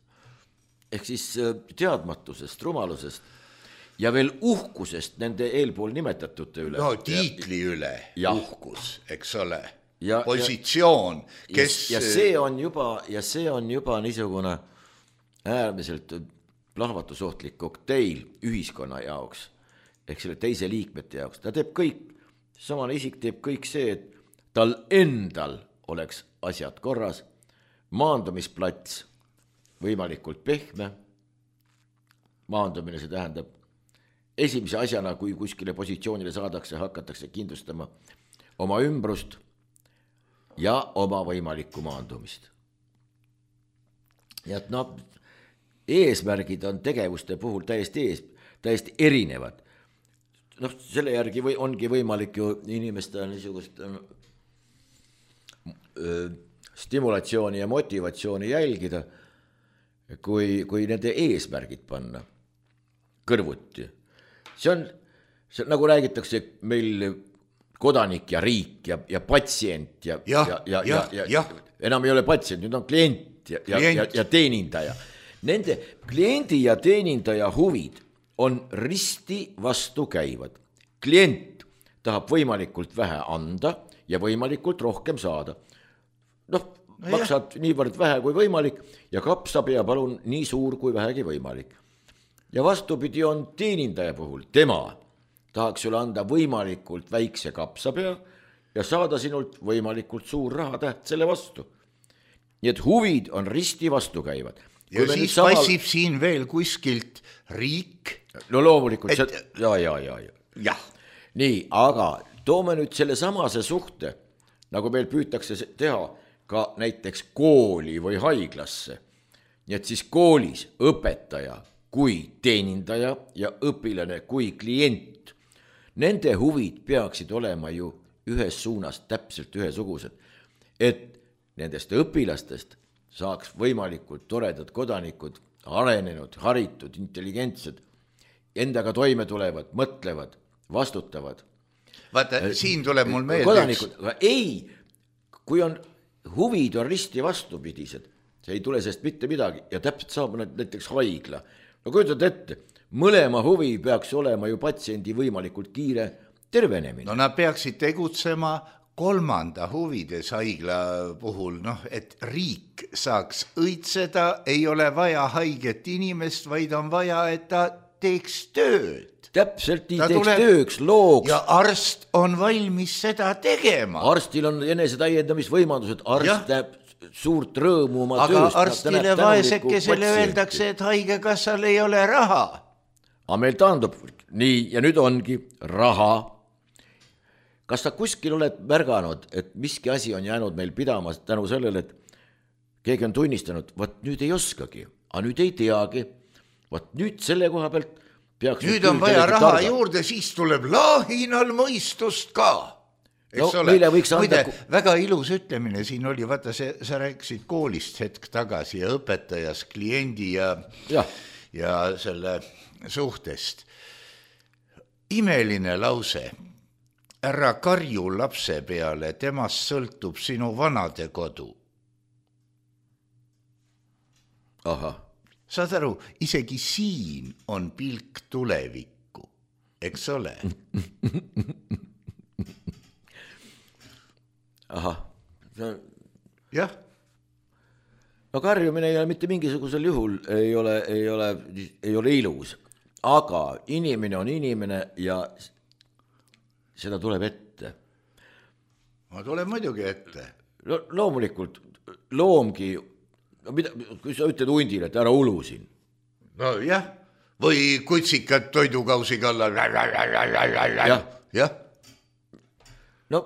ehk siis teadmatusest, rumalusest ja veel uhkusest nende eelpool nimetatute üle. No tiitli üle uhkus, eks ole, positsioon, kes... Ja see on juba niisugune äärmiselt plahvatusohtlik kokteil ühiskonna jaoks, ehk selle teise liikmete jaoks. Ta teeb kõik, samane isik teeb kõik see, et tal endal oleks asjad korras, maandumisplats võimalikult pehme. Maandumine, see tähendab esimese asjana, kui kuskile positsioonile saadakse, hakatakse kindlustama oma ümbrust ja oma võimalikku maandumist. Ja eesmärgid on tegevuste puhul täiesti erinevad. Selle järgi ongi võimalik ju inimeste niisugust stimulatsiooni ja motivatsiooni jälgida, kui nende eesmärgid panna kõrvuti. See on nagu räägitakse meil kodanik ja riik ja patsient ja enam ei ole patsient, nüüd on klient ja teenindaja. Nende kliendi ja teenindaja huvid on risti vastukäivad. Klient tahab võimalikult vähe anda ja võimalikult rohkem saada. Maksad niivõrd vähe kui võimalik ja kapsapea palun nii suur kui vähegi võimalik. Ja vastupidi on teenindaja puhul, tema tahaks sulle anda võimalikult väikse kapsapea ja saada sinult võimalikult suur rahatäht selle vastu. Nii et huvid on risti vastukäivad. Ja siis passib siin veel kuskilt riik. No loomulikult ja. Nii, aga toome nüüd selle samase suhte, nagu meil püütakse teha ka näiteks kooli või haiglasse. Nii et siis koolis õpetaja kui teenindaja ja õpilane kui klient. Nende huvid peaksid olema ju ühes suunas täpselt ühesugused, et nendest õpilastest saaks võimalikult toredad kodanikud, arenenud, haritud, intelligentsed, endaga toime tulevad, mõtlevad, vastutavad. Vaata, siin tuleb mul meelde kodanikud, ei, kui on huvid on risti vastupidised, see ei tule sest mitte midagi ja täpselt saab näiteks haigla. No kujutad ette, mõlema huvi peaks olema ju patsiendi võimalikult kiire tervenemine. No nad peaksid tegutsema kolmanda huvides haigla puhul, et riik saaks õitseda, ei ole vaja haiget inimest, vaid on vaja, et ta teeks tööd. Täpselt nii teeks tööks, looks. Ja arst on valmis seda tegema. Arstil on enesetäiendamisvõimalused, arst näeb suurt rõõmu oma tööst. Aga arstile vaesekesele öeldakse, et haigekassal ei ole raha. Aga meil taandub nii ja nüüd ongi raha. Kas sa kuskil oled märganud, et miski asi on jäänud meil pidama tänu sellele, et keegi on tunnistanud, võt nüüd ei oskagi, aga nüüd ei teagi, võt nüüd selle koha pealt peaks... Nüüd on vaja raha juurde, siis tuleb laahinal mõistust ka. Muide, väga ilus ütlemine siin oli, vaata, sa rääkisid koolist hetk tagasi ja õpetajas, kliendi ja selle suhtest. Imeline lause. Ära karju lapse peale, temast sõltub sinu vanade kodu. Aha. Saad aru, isegi siin on pilk tulevikku, eks ole? Ahah. Jah. No karjumine ei ole mitte mingisugusel juhul, ei ole ilus, aga inimene on inimene ja seda tuleb ette. Ma tuleb muidugi ette. Loomulikult, loomgi, kui sa ütled hundile, et ära ulu siin. No jah, või kutsikad toidukausi kallal. Jah. No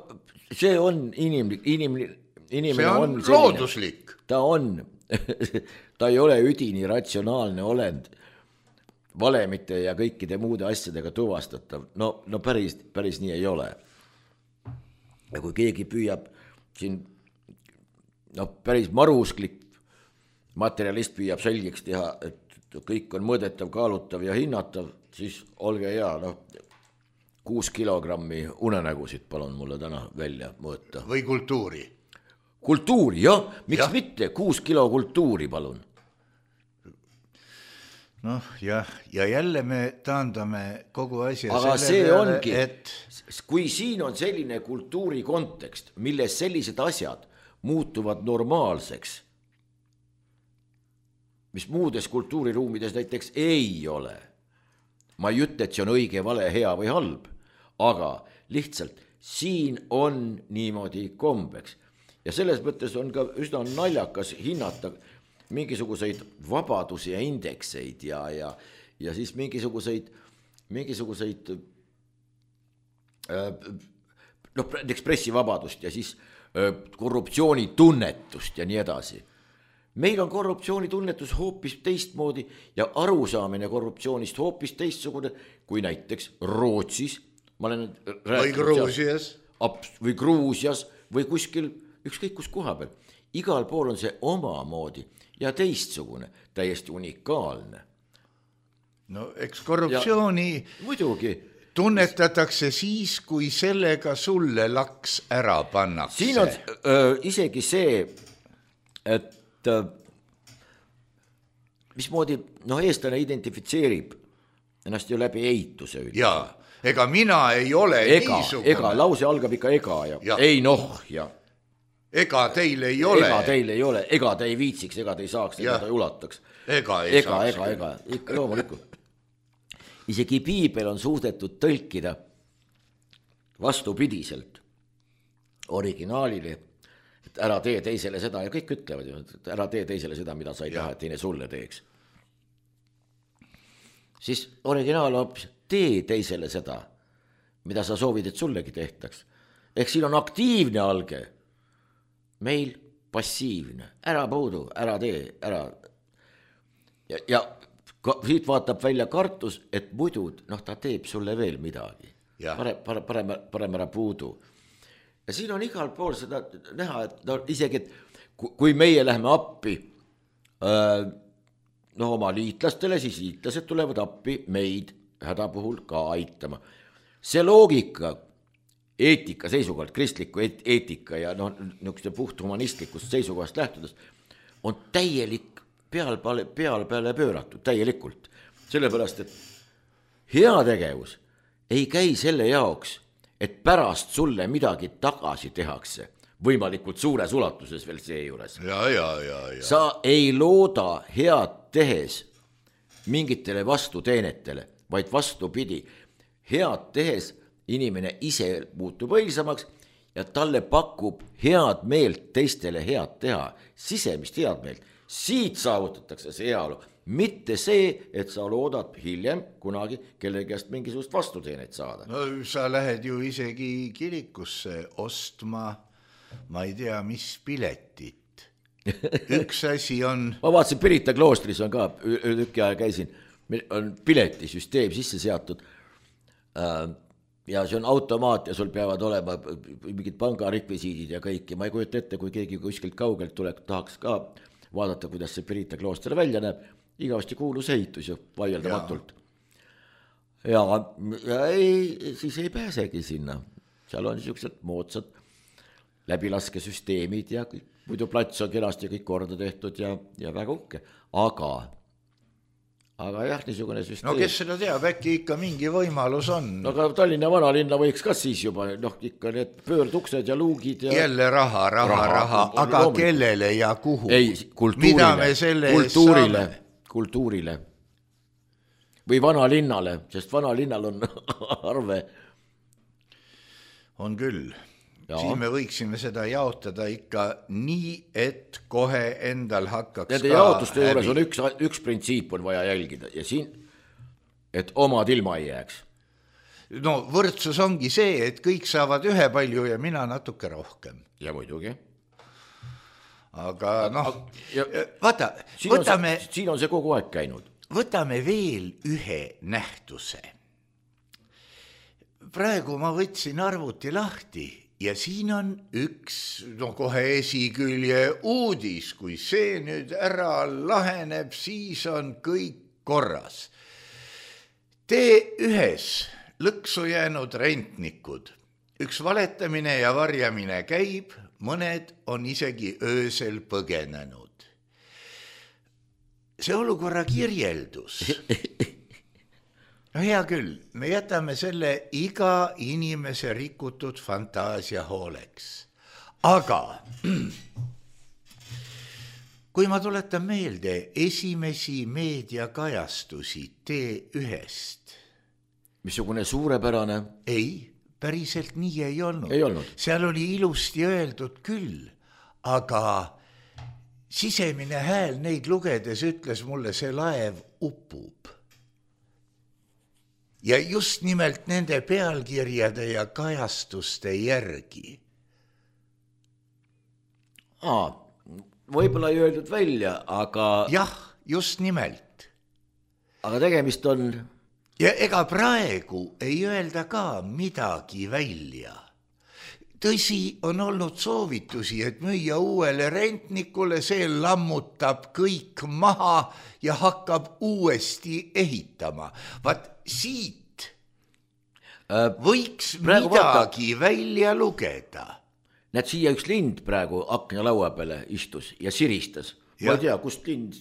see on inimene see on looduslik. Ta on, ta ei ole üdini ratsionaalne olend, valemite ja kõikide muude asjadega tuvastatav. No päris nii ei ole. Ja kui keegi püüab siin, päris marusklik materialist püüab selgeks teha, et kõik on mõõdetav, kaalutav ja hinnatav, siis olge hea, 6 kilogrammi unenägusid palun mulle täna välja mõõta. Või kultuuri. Kultuuri, jah, miks mitte, 6 kilo kultuuri palun. Ja jälle me taandame kogu asja aga selle peale, ongi, et kui siin on selline kultuuri kontekst, milles sellised asjad muutuvad normaalseks, mis muudes kultuuriruumides näiteks ei ole. Ma ei ütle, et see on õige, vale, hea või halb, aga lihtsalt siin on niimoodi kombeks. Ja selles mõttes on ka üsna naljakas hinnata mingisuguseid vabadusi ja indekseid ja siis mingisuguseid näiteks pressivabadust ja siis korruptsioonitunnetust ja nii edasi. Meil on korruptsioonitunnetus hoopis teistmoodi ja arusaamine korruptsioonist hoopis teistsugune kui näiteks Rootsis. Või Gruusias. Või Gruusias või kuskil ükskõik kus koha peal. Igal pool on see omamoodi ja teistsugune, täiesti unikaalne. No eks korruptsiooni... Ja, muidugi. tunnetatakse siis, kui sellega sulle laks ära pannakse. Siin on isegi see, et mismoodi eestlane identifitseerib ennast ju läbi eituse. Jaa, ega mina ei ole niisugune. Ega, lause algab ikka ega ja ei ja ega teil ei ole. Ega teil ei ole, ega te ei viitsiks, ega te ei saaks, ega te ei ulataks. Ega, ikka loomulikult. Isegi piibel on suudetud tõlkida vastupidiselt originaalile, et ära tee teisele seda ja kõik ütlevad ju, et ära tee teisele seda, mida sa ei taha, et teine sulle teeks. Siis originaal on tee teisele seda, mida sa soovid, et sullegi tehtaks. Ehk siin on aktiivne alge, meil passiivne, ära puudu, ära tee, ära. Ja siit vaatab välja kartus, et muidu ta teeb sulle veel midagi. Parem ära puudu. Ja siin on igal pool seda näha, et isegi, et kui meie läheme appi oma liitlastele, siis liitlased tulevad appi meid häda puhul ka aitama. See loogika, eetika seisukohalt, kristliku eetika ja niisuguste puht humanistlikust seisukohast lähtudes on täielik peale pööratud, täielikult. Sellepärast, et heategevus ei käi selle jaoks, et pärast sulle midagi tagasi tehakse, võimalikult suures ulatuses veel seejuures. Ja. Sa ei looda head tehes mingitele vastuteenetele, vaid vastupidi. Head tehes inimene ise muutub õilsamaks ja talle pakub head meelt teistele head teha, sisemist head meelt. Siit saavutatakse see heaolu, mitte see, et sa loodad hiljem kunagi kellegi käest mingisugust vastuteenet saada. No sa lähed ju isegi kirikusse ostma, ma ei tea, mis piletit. Üks asi on... Ma vaatasin, Pirita kloostris on ka, tükki aja käisin, on piletisüsteem sisse seatud ja see on automaat ja sul peavad olema mingid pangarekvisiidid ja kõik ja ma ei kujuta ette, kui keegi kuskilt kaugelt tuleb, tahaks ka vaadata, kuidas see Pirita klooster välja näeb, igavasti kuulus ehitus ju vaieldamatult. Ja siis ei pääsegi sinna. Seal on niisugused moodsad läbilaskesüsteemid ja muidu plats on kenasti kõik korda tehtud ja väga uhke. Aga jah, niisugune süsteem. No kes seda teab, äkki ikka mingi võimalus on. No aga Tallinna vanalinna võiks ka siis juba, ikka need pöörduksed ja luugid ja... Jälle raha, aga kellele ja kuhu? Ei, kultuurile. Või vanalinnale, sest vanalinnal on arve. On küll. Siin me võiksime seda jaotada ikka nii, et kohe endal hakkaks nende jaotuste juures on üks printsiip on vaja jälgida ja siin, et omad ilma ei jääks. No võrdsus ongi see, et kõik saavad ühe palju ja mina natuke rohkem. Ja muidugi. Aga vaata, võtame... Siin on see kogu aeg käinud. Võtame veel ühe nähtuse. Praegu ma võtsin arvuti lahti ja siin on üks, kohe esikülje uudis, kui see nüüd ära laheneb, siis on kõik korras. T1 lõksu jäänud rentnikud, üks valetamine ja varjamine käib, mõned on isegi öösel põgenenud. See olukorra kirjeldus... No hea küll, me jätame selle iga inimese rikutud fantaasia hooleks. Aga kui ma tuletan meelde esimesi meediakajastusi T1-st. Missugune suurepärane? Ei, päriselt nii ei olnud. Ei olnud. Seal oli ilusti öeldud küll, aga sisemine hääl neid lugedes ütles mulle, see laev upub. Ja just nimelt nende pealkirjade ja kajastuste järgi. Võib-olla ei öeldud välja, aga... Jah, just nimelt. Aga tegemist on... Ja ega praegu ei öelda ka midagi välja. Tõsi, on olnud soovitusi, et müüa uuele rentnikule, see lammutab kõik maha ja hakkab uuesti ehitama. Vaat siit võiks midagi välja lugeda. Näed, siia üks lind praegu aknalaua peale istus ja siristas. Ma ei tea, kust lind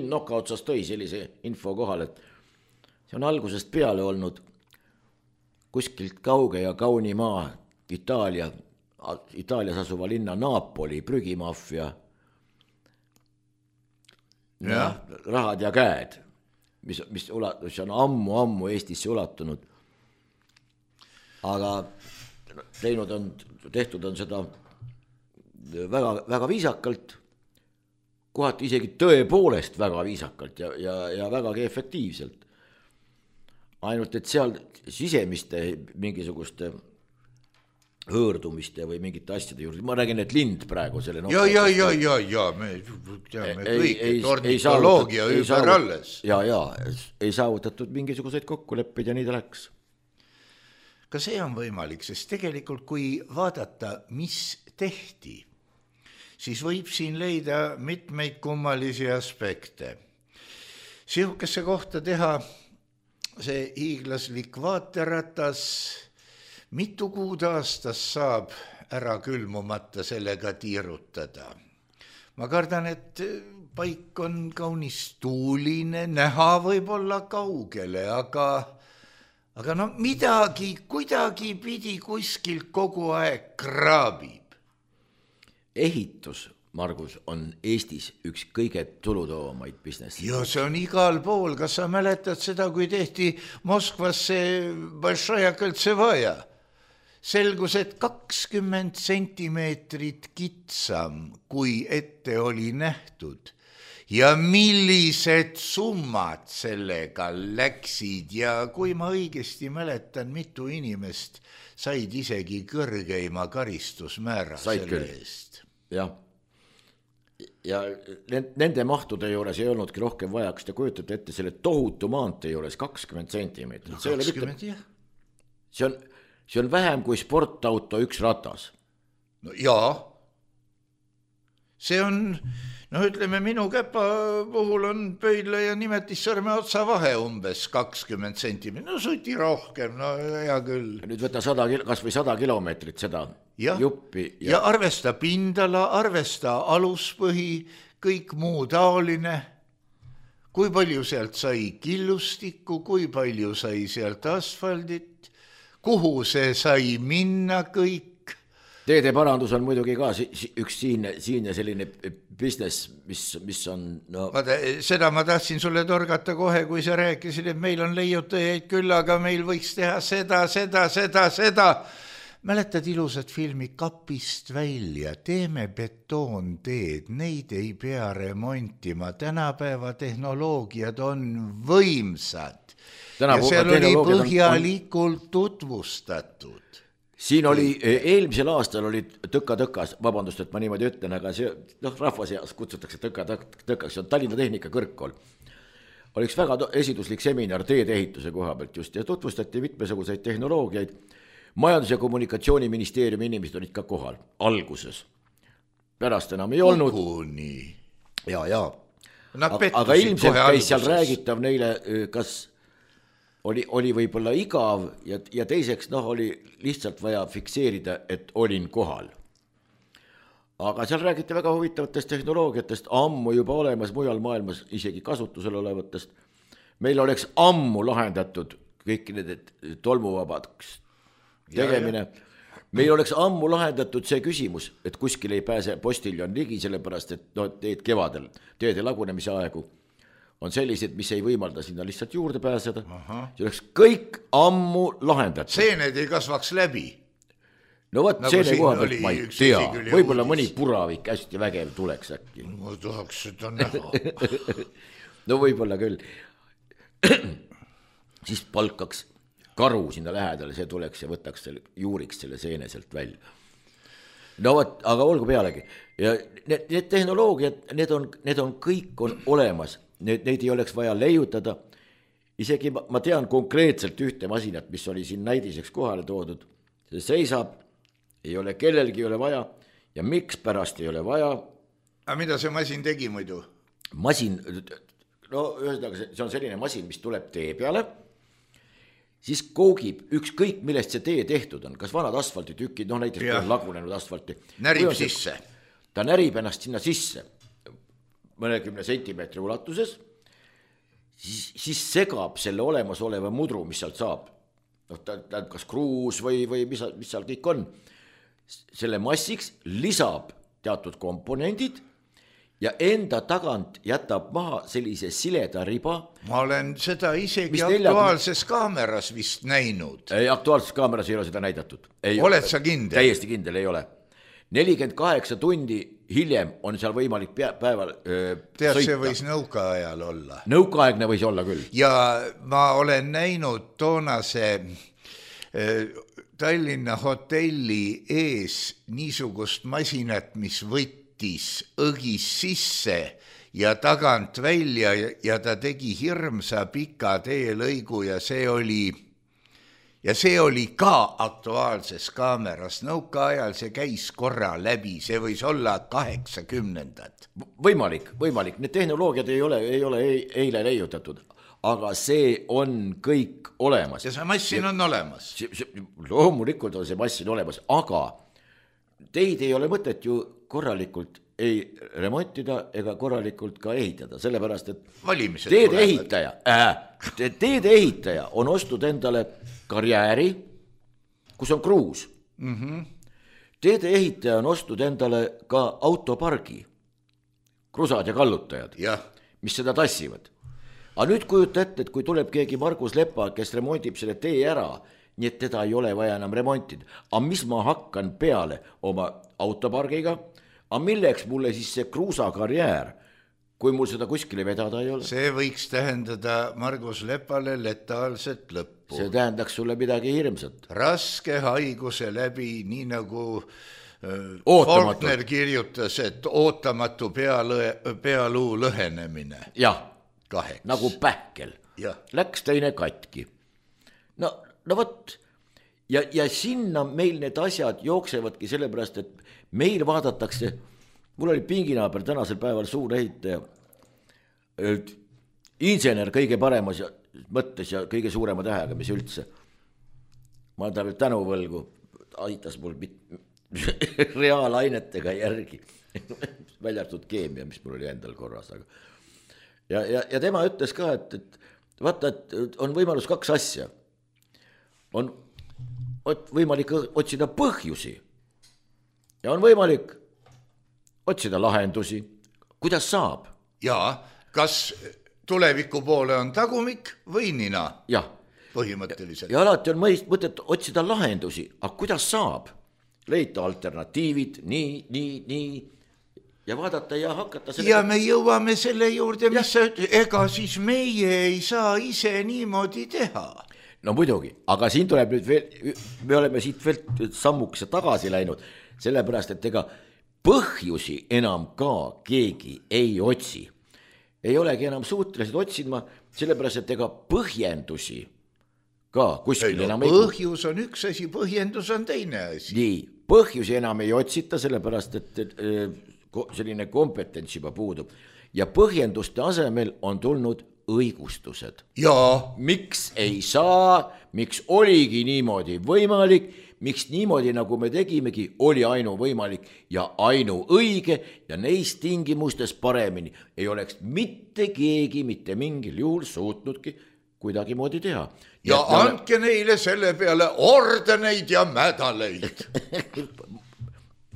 noka otsas tõi sellise info kohal, et see on algusest peale olnud kuskilt kauge ja kauni maa Itaalias asuva linna Napoli prügimaffia rahad ja käed, mis on ammu Eestisse ulatunud. Aga tehtud on seda väga, väga viisakalt, kohati isegi tõepoolest väga viisakalt ja vägagi efektiivselt. Ainult, et seal sisemiste mingisuguste hõõrdumiste või mingite asjade juurde, ma räägin, et lind praegu selle me teame kõik, et ornitoloogia ümber alles. Ei saavutatud mingisuguseid kokkuleppeid ja nii ta läks. Ka see on võimalik, sest tegelikult kui vaadata, mis tehti, siis võib siin leida mitmeid kummalisi aspekte. Sihukesse kohta teha see hiiglaslik vaaterratas, mitu kuud aastas saab ära külmumata sellega tiirutada. Ma kardan, et paik on kaunis tuuline, näha võib olla kaugele, aga no midagi kuidagi pidi kuskilt kogu aeg kraabib. Ehitus, Margus, on Eestis üks kõige tulutoovamaid business. Ja see on igal pool. Kas sa mäletad seda, kui tehti Moskvas see Большая кольцевая? Selgus, et 20 sentimeetrit kitsam, kui ette oli nähtud. Ja millised summad sellega läksid ja kui ma õigesti mäletan, mitu inimest said isegi kõrgeima karistusmäära selle eest. Ja nende mahtude juures ei olnudki rohkem vaja, kas te kujutate ette selle tohutu maantee juures 20 sentimeetrit. No 20, jah. See on vähem kui sportauto üks ratas. No jaa. See on, ütleme, minu käpa puhul on pöidla ja nimetissõrme otsa vahe umbes 20 sentimeetrit. No suti rohkem, hea küll. Nüüd võta kas või 100 kilomeetrit seda juppi. Ja arvesta pindala, arvesta aluspõhi, kõik muu taoline. Kui palju sealt sai killustikku, kui palju sai sealt asfaldit, kuhu see sai minna kõik. Teede parandus on muidugi ka üks siin ja selline business, mis on... Vaata, seda ma tahtsin sulle torgata kohe, kui sa rääkisid, et meil on leiutajaid küll, aga meil võiks teha seda. Mäletad ilusat filmi Kapist välja, teeme betoonteed, neid ei pea remontima, tänapäeva tehnoloogiad on võimsad. Ja seal oli põhjalikult tutvustatud. Siin oli, eelmisel aastal oli tõkas, vabandust, et ma niimoodi ütlen, aga see, rahva seas kutsutakse tõkaks, see on Tallinna Tehnika Kõrgkool. Oli üks väga esiduslik seminar teedeehituse koha pealt just ja tutvustati mitmesuguseid tehnoloogiaid. Majandus- ja kommunikatsiooniministeeriumi inimesed olid ka kohal, alguses. Pärast enam ei olnud. Koguni. Ja. Aga ilmselt käis seal räägitav neile, kas... Oli võib-olla igav ja teiseks oli lihtsalt vaja fikseerida, et olin kohal. Aga seal räägiti väga huvitavatest tehnoloogiatest, ammu juba olemas mujal maailmas isegi kasutusel olevatest. Meil oleks ammu lahendatud kõik need tolmuvabaks tegemine. Meil oleks ammu lahendatud see küsimus, et kuskil ei pääse postiljon ligi, sellepärast et teed kevadel, teede lagunemise aegu on sellised, mis ei võimalda sinna lihtsalt juurde pääseda. See oleks kõik ammu lahendatud. Seened ei kasvaks läbi. No võt, seene koha pealt ma ei tea. Võib-olla mõni puravik hästi vägev tuleks äkki. Ma tahaks seda näha. No võib-olla küll. Siis palkaks karu sinna lähedale, see tuleks ja võtaks juuriks selle seene sealt välja. No võt, aga olgu pealegi. Ja need tehnoloogiad, need on kõik on olemas. Neid ei oleks vaja leiutada. Isegi ma tean konkreetselt ühte masinat, mis oli siin näidiseks kohale toodud. See seisab, ei ole kellelgi ei ole vaja ja miks pärast ei ole vaja. Aga mida see masin tegi muidu? Masin, ühesõnaga see on selline masin, mis tuleb tee peale. siis koogib ükskõik, millest see tee tehtud on, kas vanad asfaltitükid, näiteks kui on lagunenud asfalti. Närib sisse. Ta närib ennast sinna sisse mõnekümne sentimeetri ulatuses, siis segab selle olemasoleva mudru, mis sealt saab. Ta kas kruus või mis seal kõik on. Selle massiks lisab teatud komponendid ja enda tagant jätab maha sellise sileda riba. Ma olen seda isegi Aktuaalses kaameras vist näinud. Ei, Aktuaalses kaameras ei ole seda näidatud. Oled sa kindel? Täiesti kindel ei ole. 48 tundi hiljem on seal võimalik päeval tead, see võis nõukaajal olla. Nõukaaegne võis olla küll. Ja ma olen näinud toonase Tallinna hotelli ees niisugust masinat, mis võttis õgis sisse ja tagant välja ja ta tegi hirmsa pika teelõigu ja see oli ka Aktuaalses kaameras. Nõukaajal see käis korra läbi, see võis olla 80-ndad. Võimalik, need tehnoloogiad ei ole eile leiutatud, aga see on kõik olemas. Ja see massin on olemas. Loomulikult on see massin olemas, aga teid ei ole mõtet ju korralikult ei remontida ega korralikult ka ehitada, sellepärast et teede ehitaja on ostnud endale karjääri, kus on kruus. Teede ehitaja on ostnud endale ka autopargi, krusad ja kallutajad, mis seda tassivad. Aga nüüd kujuta ette, et kui tuleb keegi Margus Lepa, kes remondib selle tee ära, nii et teda ei ole vaja enam remontida. Aga mis ma hakkan peale oma autopargiga? Aga milleks mulle siis see kruusakarjäär, kui mul seda kuskile vedada ei ole? See võiks tähendada Margus Lepale letaalset lõppu. See tähendaks sulle midagi hirmsat. Raske haiguse läbi, nii nagu Faulkner kirjutas, et ootamatu pealuu lõhenemine. Jah, nagu pähkel. Läks teine katki. No võt, ja sinna meil need asjad jooksevadki sellepärast, et meil vaadatakse, mul oli pinginaaber tänasel päeval suur ehitaja, insener kõige paremas mõttes ja kõige suurema tähega, mis üldse. Ma olen ta veel tänuvõlgu, aitas mul reaalainetega järgi, väljartud keemia, mis mul oli endal korras. Ja tema ütles ka, et vaata, et on võimalus 2 asja. On võimalik otsida põhjusi ja on võimalik otsida lahendusi. Kuidas saab? Jaa, kas tuleviku poole on tagumik või nina? Jah. Põhimõtteliselt. Ja alati on mõtet otsida lahendusi, aga kuidas saab? Leida alternatiivid, nii, ja vaadata ja hakata selle... Ja me jõuame selle juurde, mis sa ütled, ega siis meie ei saa ise niimoodi teha. No muidugi, aga siin tuleb nüüd veel, me oleme siit veel sammukese tagasi läinud, sellepärast, et ega põhjusi enam ka keegi ei otsi. Ei olegi enam suhtelised otsima, sellepärast, et ega põhjendusi ka kuskil enam ei... Põhjus on üks asi, põhjendus on teine asi. Nii, põhjusi enam ei otsita, sellepärast, et selline kompetents juba puudub. Ja põhjenduste asemel on tulnud õigustused. Jaa. Miks ei saa, miks oligi niimoodi võimalik, miks niimoodi, nagu me tegimegi, oli ainuvõimalik ja ainuõige ja neist tingimustes paremini ei oleks mitte keegi mitte mingil juhul suutnudki kuidagi moodi teha. Ja andke neile selle peale ordeneid ja mädaleid.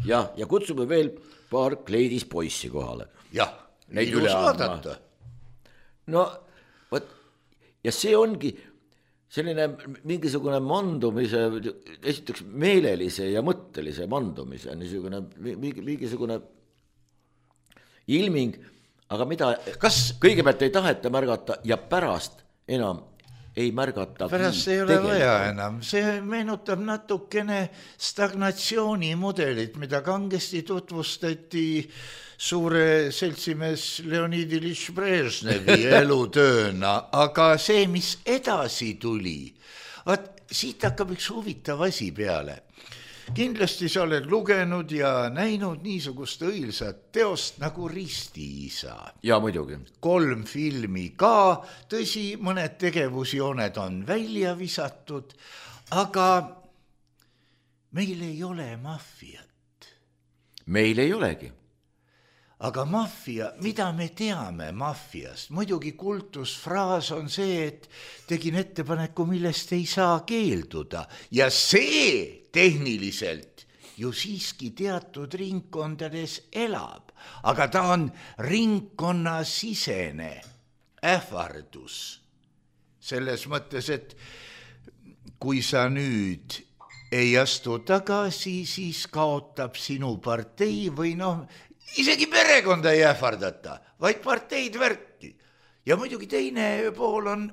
ja kutsume veel paar kleidis poissi kohale. Jah, ilus vaadata. No, võt, ja see ongi selline mingisugune mandumise, esiteks meelelise ja mõttelise mandumise, niisugune mingisugune ilming, aga mida kõigepealt ei taheta märgata ja pärast enam ei märgata. Pärast ei ole vaja enam. See meenutab natukene stagnatsioonimudelit, mida kangesti tutvustati suure seltsimees Leonid Ilyich Brežnevi elutööna, aga see, mis edasi tuli, siit hakkab üks huvitav asi peale. kindlasti sa oled lugenud ja näinud niisugust õilsat teost nagu Ristiisa. Ja muidugi. 3 filmi ka, tõsi, mõned tegevusjooned on välja visatud, aga meil ei ole maffiat. Meil ei olegi. Aga maffia, mida me teame maffiast? Muidugi kultusfraas on see, et tegin ettepaneku, millest ei saa keelduda. Ja see tehniliselt ju siiski teatud ringkondades elab. Aga ta on ringkonnasisene ähvardus. Selles mõttes, et kui sa nüüd ei astu tagasi, siis kaotab sinu partei või isegi perekonda ei ähvardata, vaid parteid värki. Ja muidugi teine pool on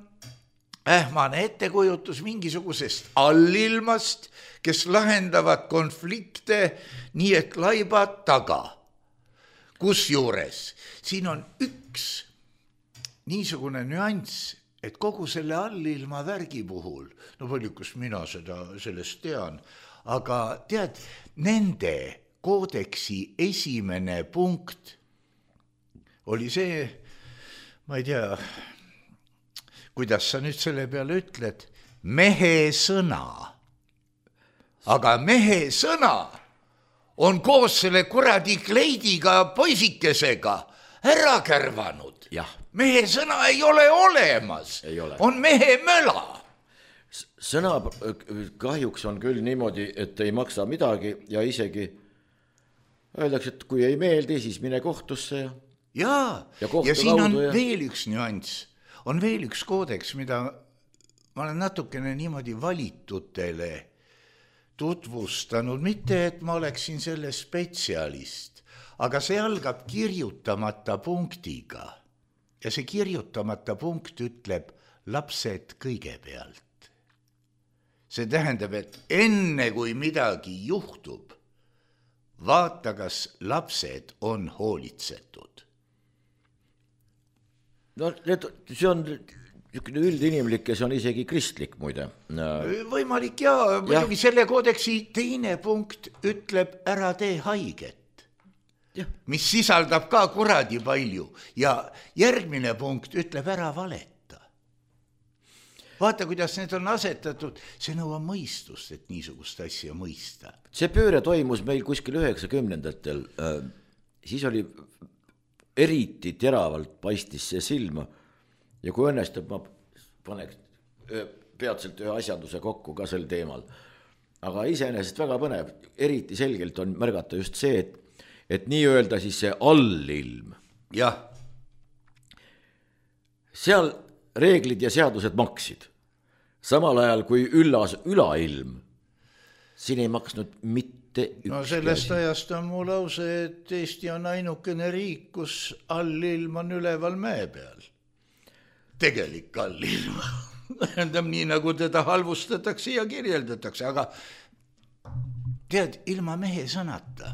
ähmane ettekujutus mingisugusest allilmast, kes lahendavad konflikte nii, et laibad taga. Kusjuures siin on üks niisugune nüanss, et kogu selle allilma värgi puhul, paljukus mina sellest tean, aga tead, nende koodeksi esimene punkt oli see, ma ei tea, kuidas sa nüüd selle peale ütled, mehe sõna. Aga mehe sõna on koos selle kuradi kleidiga poisikesega ära kärvanud. Jah. Mehe sõna ei ole olemas, on mehe möla. Sõna kahjuks on küll niimoodi, et ei maksa midagi ja isegi öeldakse, et kui ei meeldi, siis mine kohtusse ja siin on veel üks nüanss. On veel üks koodeks, mida ma olen natukene niimoodi valitutele tutvustanud. Mitte, et ma oleksin selle spetsialist, aga see algab kirjutamata punktiga. Ja see kirjutamata punkt ütleb lapsed kõigepealt. See tähendab, et enne kui midagi juhtub, vaata, kas lapsed on hoolitsetud. See on üldinimlik ja see on isegi kristlik muide. Võimalik ja muidugi selle koodeksi teine punkt ütleb ära tee haiget, mis sisaldab ka kuradi palju ja järgmine punkt ütleb ära valeta. Vaata, kuidas need on asetatud, see nõuab mõistust, et niisugust asja mõista. See pööre toimus meil kuskil 90-ndatel, siis oli eriti teravalt paistis see silma ja kui õnnestub, ma paneks peatselt ühe asjanduse kokku ka sel teemal. Aga iseenesest väga põnev, eriti selgelt on märgata just see, et nii öelda siis see allilm. Jah. Seal reeglid ja seadused maksid. Samal ajal kui üllas ülailm, siin ei maksnud mitte üks. Sellest ajast on mu lause, et Eesti on ainukene riik, kus allilm on üleval mäe peal. Tegelik allilm. Tähendab nii, nagu teda halvustatakse ja kirjeldatakse, aga tead, ilma mehe sõnata.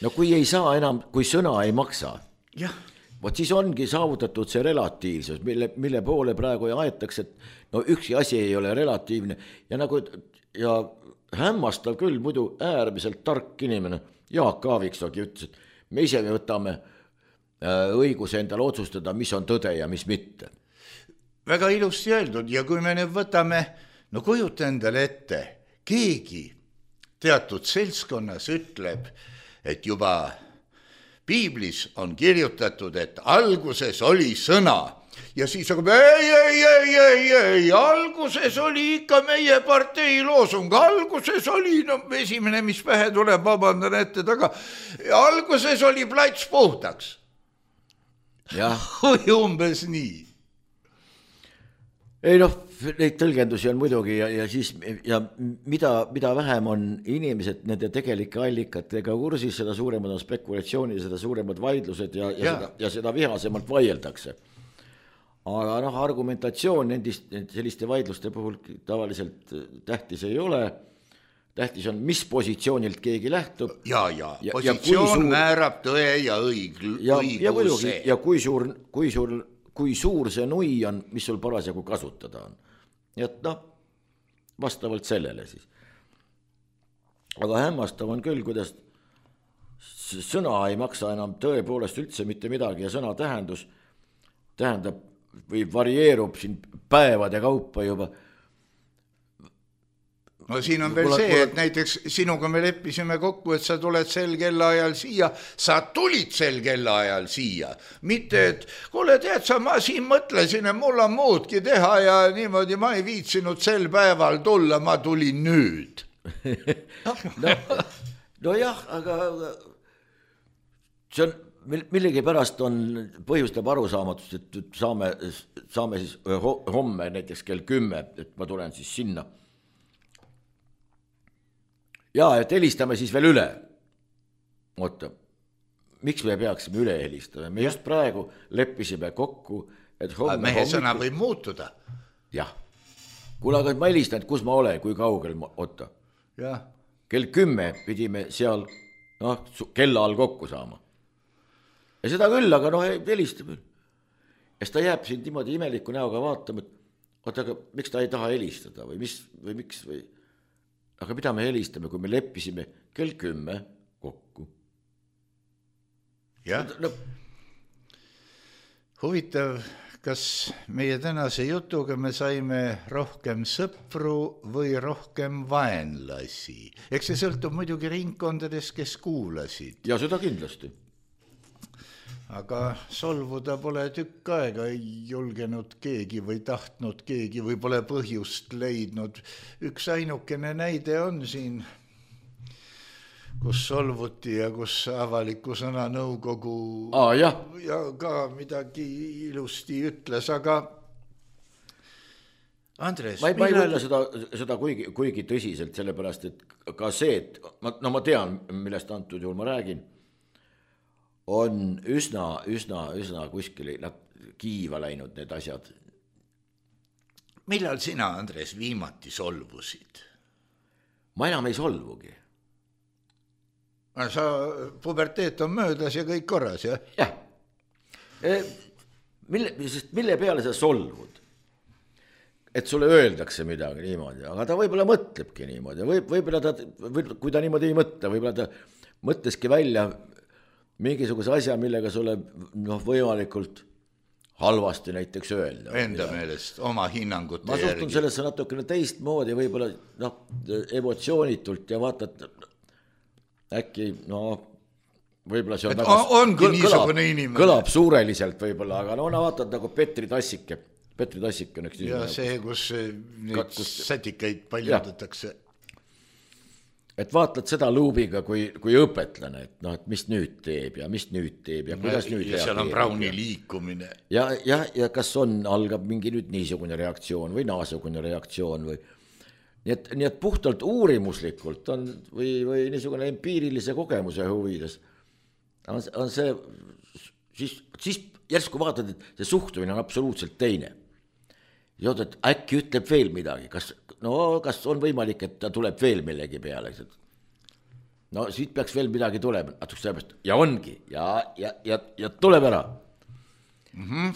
No kui ei saa enam, kui sõna ei maksa. Jah. Vot siis ongi saavutatud see relatiivsus, mille poole praegu aetakse, et üksi asi ei ole relatiivne ja hämmastav küll muidu äärmiselt tark inimene, Jaak Aaviksoogi ütles, et me ise võtame õiguse endale otsustada, mis on tõde ja mis mitte. Väga ilusti öeldud ja kui me nüüd võtame, kujuta endale ette, keegi teatud seltskonnas ütleb, et juba Piiblis on kirjutatud, et alguses oli sõna ja siis ei, alguses oli ikka meie partei loosung, alguses oli, esimene, mis pähe tuleb, vabandan ette taga, alguses oli plats puhtaks. Umbes nii. Ei neid tõlgendusi on muidugi ja mida vähem on inimesed nende tegelike allikatega kursis, seda suuremad on spekulatsioonid, seda suuremad vaidlused ja seda vihasemalt vaieldakse. Aga argumentatsioon selliste vaidluste puhul tavaliselt tähtis ei ole. Tähtis on, mis positsioonilt keegi lähtub. Ja positsioon määrab tõe ja õiguse. Ja kui suur see nui on, mis sul parasjagu kasutada on. Et vastavalt sellele siis. aga hämmastav on küll, kuidas sõna ei maksa enam tõepoolest üldse mitte midagi ja sõna tähendab või varieerub siin päevade kaupa juba. No siin on veel see, et näiteks sinuga me leppisime kokku, et sa tuled sel kellaajal siia, sa tulid sel kellaajal siia, mitte et kuule tead sa, ma siin mõtlesin, et mul on muudki teha ja niimoodi ma ei viitsinud sel päeval tulla, ma tulin nüüd. no jah, aga see on millegipärast põhjustab arusaamatust, et saame siis homme näiteks kell 10, et ma tulen siis sinna. Ja, et helistame siis veel üle. Oota, miks me peaksime üle helistama? Me just praegu leppisime kokku, et homme... Mehe sõna võib muutuda. Jah. Kuule, aga ma helistan, et kus ma olen, kui kaugel ma... Oota. Jah. Kell 10 pidime seal kella all kokku saama. Ja seda küll, aga helistab. Ja ta jääb siin niimoodi imeliku näoga vaatama, et oota, aga miks ta ei taha helistada või miks või... Aga mida me helistame, kui me leppisime kell 10 kokku? Jah. Huvitav, kas meie tänase jutuga me saime rohkem sõpru või rohkem vaenlasi? Eks see sõltub muidugi ringkondades, kes kuulasid. Ja seda kindlasti. Aga solvuda pole tükk aega, ei julgenud keegi või tahtnud keegi või pole põhjust leidnud. Üks ainukene näide on siin, kus solvuti ja kus avaliku sõna nõukogu ja ka midagi ilusti ütles, aga Andres, ma ei võtta seda kuigi tõsiselt, sellepärast, et ka see, et ma tean, millest antud juhul ma räägin, on üsna kuskil kiiva läinud need asjad. Millal sina, Andres, viimati solvusid? Ma enam ei solvugi. Sa puberteet on möödas ja kõik korras, jah? Jah. Mille peale sa solvud? Et sulle öeldakse midagi niimoodi, aga ta võib-olla mõtlebki niimoodi. Võib-olla kui ta niimoodi ei mõtle, võib-olla ta mõtleski välja mingisuguse asja, millega sulle võimalikult halvasti näiteks öelda. Enda meelest, oma hinnangute järgi. Ma suhtun sellesse natukene teistmoodi, võib-olla emotsioonitult ja vaatad, äkki, võib-olla see on kõlab suureliselt võib-olla, aga vaatad nagu Petri Tassike. Petri Tassik on üks ja see, kus neid sätikaid paljudatakse. Et vaatad seda luubiga kui õpetlane, et mis nüüd teeb ja kuidas nüüd ja seal on Browni liikumine. Ja kas algab mingi nüüd niisugune reaktsioon või naasugune reaktsioon või nii et puhtalt uurimuslikult on või niisugune empiirilise kogemuse huvides on see siis järsku vaatad, et see suhtumine on absoluutselt teine. Ja et äkki ütleb veel midagi, kas on võimalik, et ta tuleb veel millegi peale. Siit peaks veel midagi tulema, ja ongi, ja tuleb ära.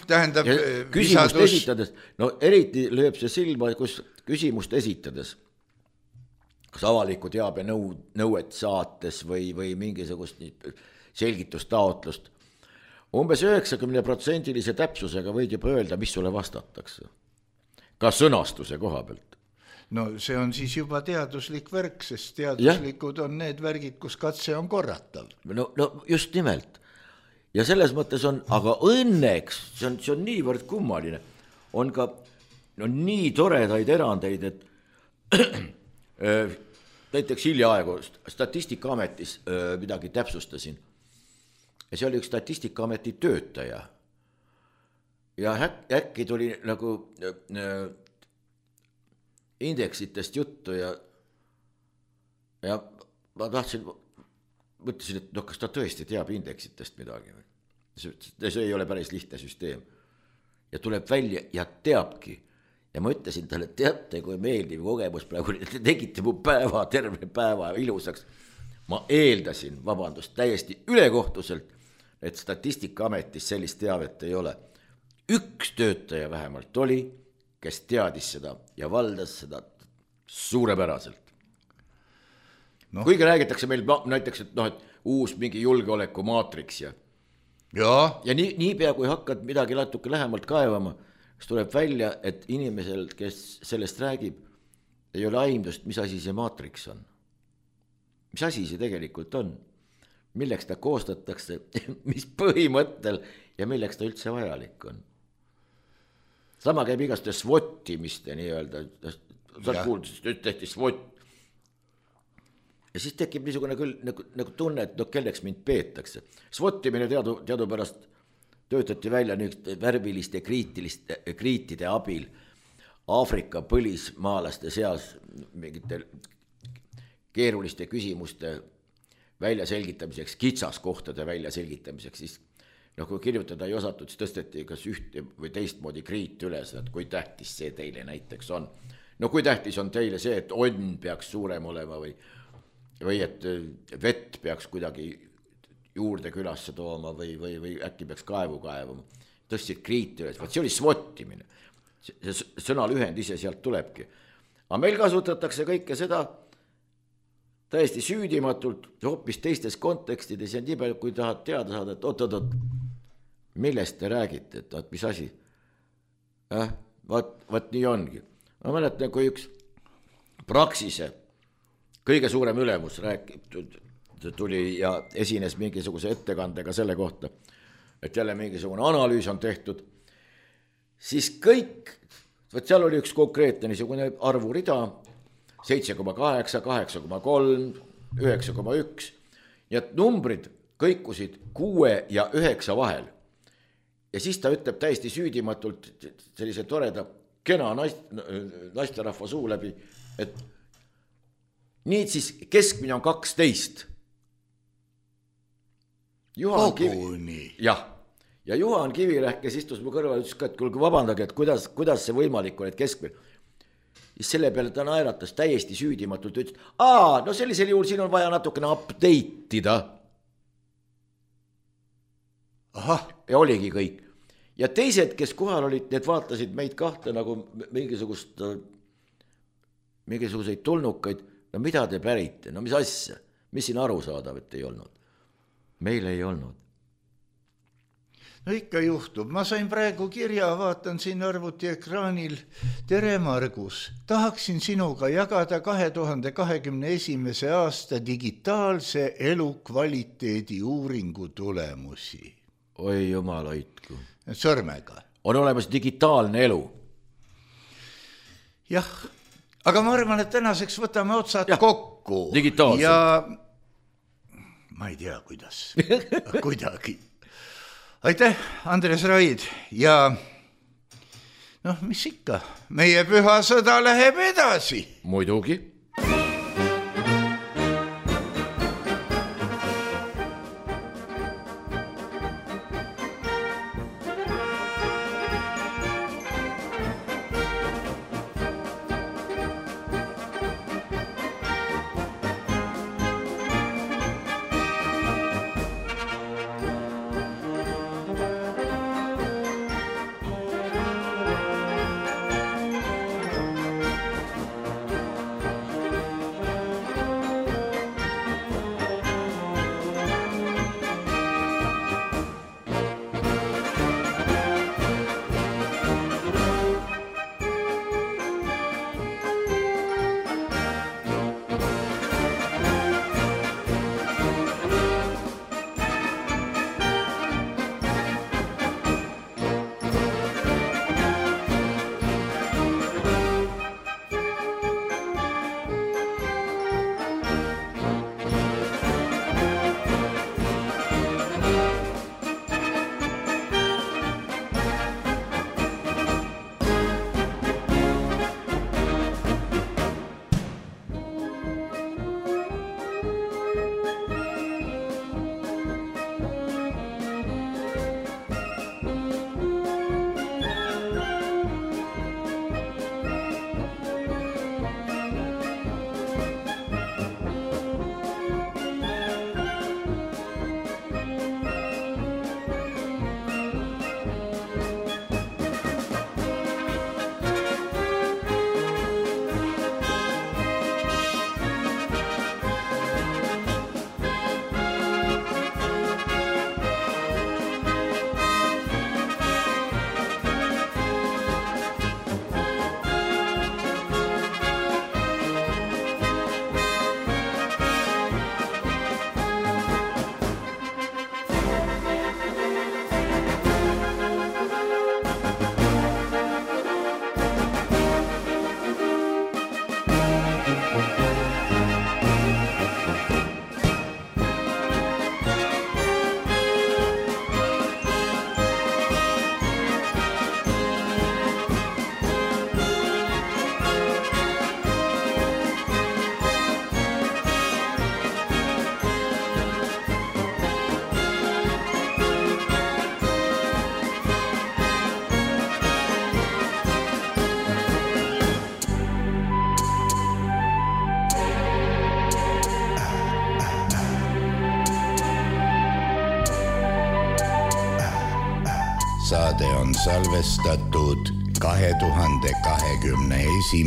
Tähendab, küsimust esitades, eriti lööb see silma, kus küsimust esitades, kas avaliku teabe nõuet saates või mingisugust selgitustaotlust, umbes 90% täpsusega võid juba öelda, mis sulle vastatakse. Ka sõnastuse koha pealt. No see on siis juba teaduslik värk, sest teaduslikud on need värgid, kus katse on korratav. No just nimelt. Ja selles mõttes on, aga õnneks, see on niivõrd kummaline, on ka nii toredaid erandeid, et näiteks hiljaaegu Statistikaametis midagi täpsustasin. Ja see oli üks Statistikaameti töötaja. Ja äkki tuli nagu indeksitest juttu ja ma mõtlesin, et kas ta tõesti teab indeksitest midagi. See ei ole päris lihtne süsteem. Ja tuleb välja ja teabki. Ja ma ütlesin talle, teate, kui meeldiv kogemus praegu, te tegite mu terve päeva ilusaks. Ma eeldasin, täiesti ülekohtuselt, et Statistikaametis sellist teavet ei ole. Üks töötaja vähemalt oli, kes teadis seda ja valdas seda suurepäraselt. Kuigi räägitakse meil näiteks, et noh, et uus mingi julgeoleku maatriks ja niipea kui hakkad midagi natuke lähemalt kaevama, siis tuleb välja, et inimesel, kes sellest räägib, ei ole aimdust, mis asi see maatriks on. Mis asi see tegelikult on? Milleks ta koostatakse, mis põhimõttel ja milleks ta üldse vajalik on. Sama käib igaste SWOT-imiste nii-öelda, sa kuulda, siis tehti SWOT. Ja siis tekib niisugune küll nagu tunne, et kelleks mind peetakse. SWOT-imine teadupärast töötati välja nüüd värviliste kriitide abil Aafrika põlismaalaste seas mingite keeruliste küsimuste väljaselgitamiseks, kitsaskohtade väljaselgitamiseks, siis kui kirjutada ei osatud, siis tõsteti kas ühte või teistmoodi kriit üles, et kui tähtis see teile näiteks on. No kui tähtis on teile see, et onn peaks suurem olema või et vett peaks kuidagi juurde külasse tooma või äkki peaks kaevu kaevama. Tõstsid kriit üles, see oli SWOT-imine. See sõna lühend ise sealt tulebki. Aga meil kasutatakse kõike seda täiesti süüdimatult, hoopis teistes kontekstides ja nii palju, kui tahad teada saada, et oot, millest te räägite, et mis asi? Vaat nii ongi. Ma mäletan, kui üks Praxise kõige suurem ülemus tuli ja esines mingisuguse ettekandega selle kohta, et jälle mingisugune analüüs on tehtud, siis kõik, seal oli üks konkreetne niisugune arvurida, 7,8, 8,3, 9,1, ja numbrid kõikusid 6 ja 9 vahel. Ja siis ta ütleb täiesti süüdimatult sellise toreda, kena naisterahva suu läbi, et nii siis keskmine on 12. Ja Juhan Kivirähk, kes istus mu kõrval, ütles ka, et kuulge vabandage, et kuidas see võimalik on, et keskmine. Siis selle peale ta naeratas täiesti süüdimatult, ütles, no sellisel juhul siin on vaja natukene update'ida. Ja oligi kõik. Ja teised, kes kohal olid, need vaatasid meid kahte nagu mingisuguseid tulnukaid. No mida te pärite? No mis asja? Mis siin arusaadavat ei olnud? Meil ei olnud. No ikka juhtub. Ma sain praegu kirja, vaatan siin arvuti ekraanil. Tere Margus, tahaksin sinuga jagada 2021. aasta digitaalse elukvaliteedi uuringu tulemusi. Oi jumal hoidku. Sõrmega. On olemas digitaalne elu. Jah, aga ma arvan, et tänaseks võtame otsad kokku. Digitaalselt. Ja ma ei tea, kuidas. Kuidagi. Aitäh, Andres Raid. Ja mis ikka, meie püha sõda läheb edasi. Muidugi. Saade on salvestatud 2021.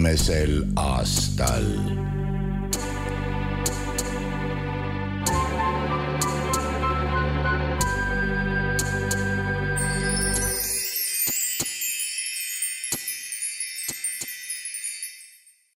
aastal.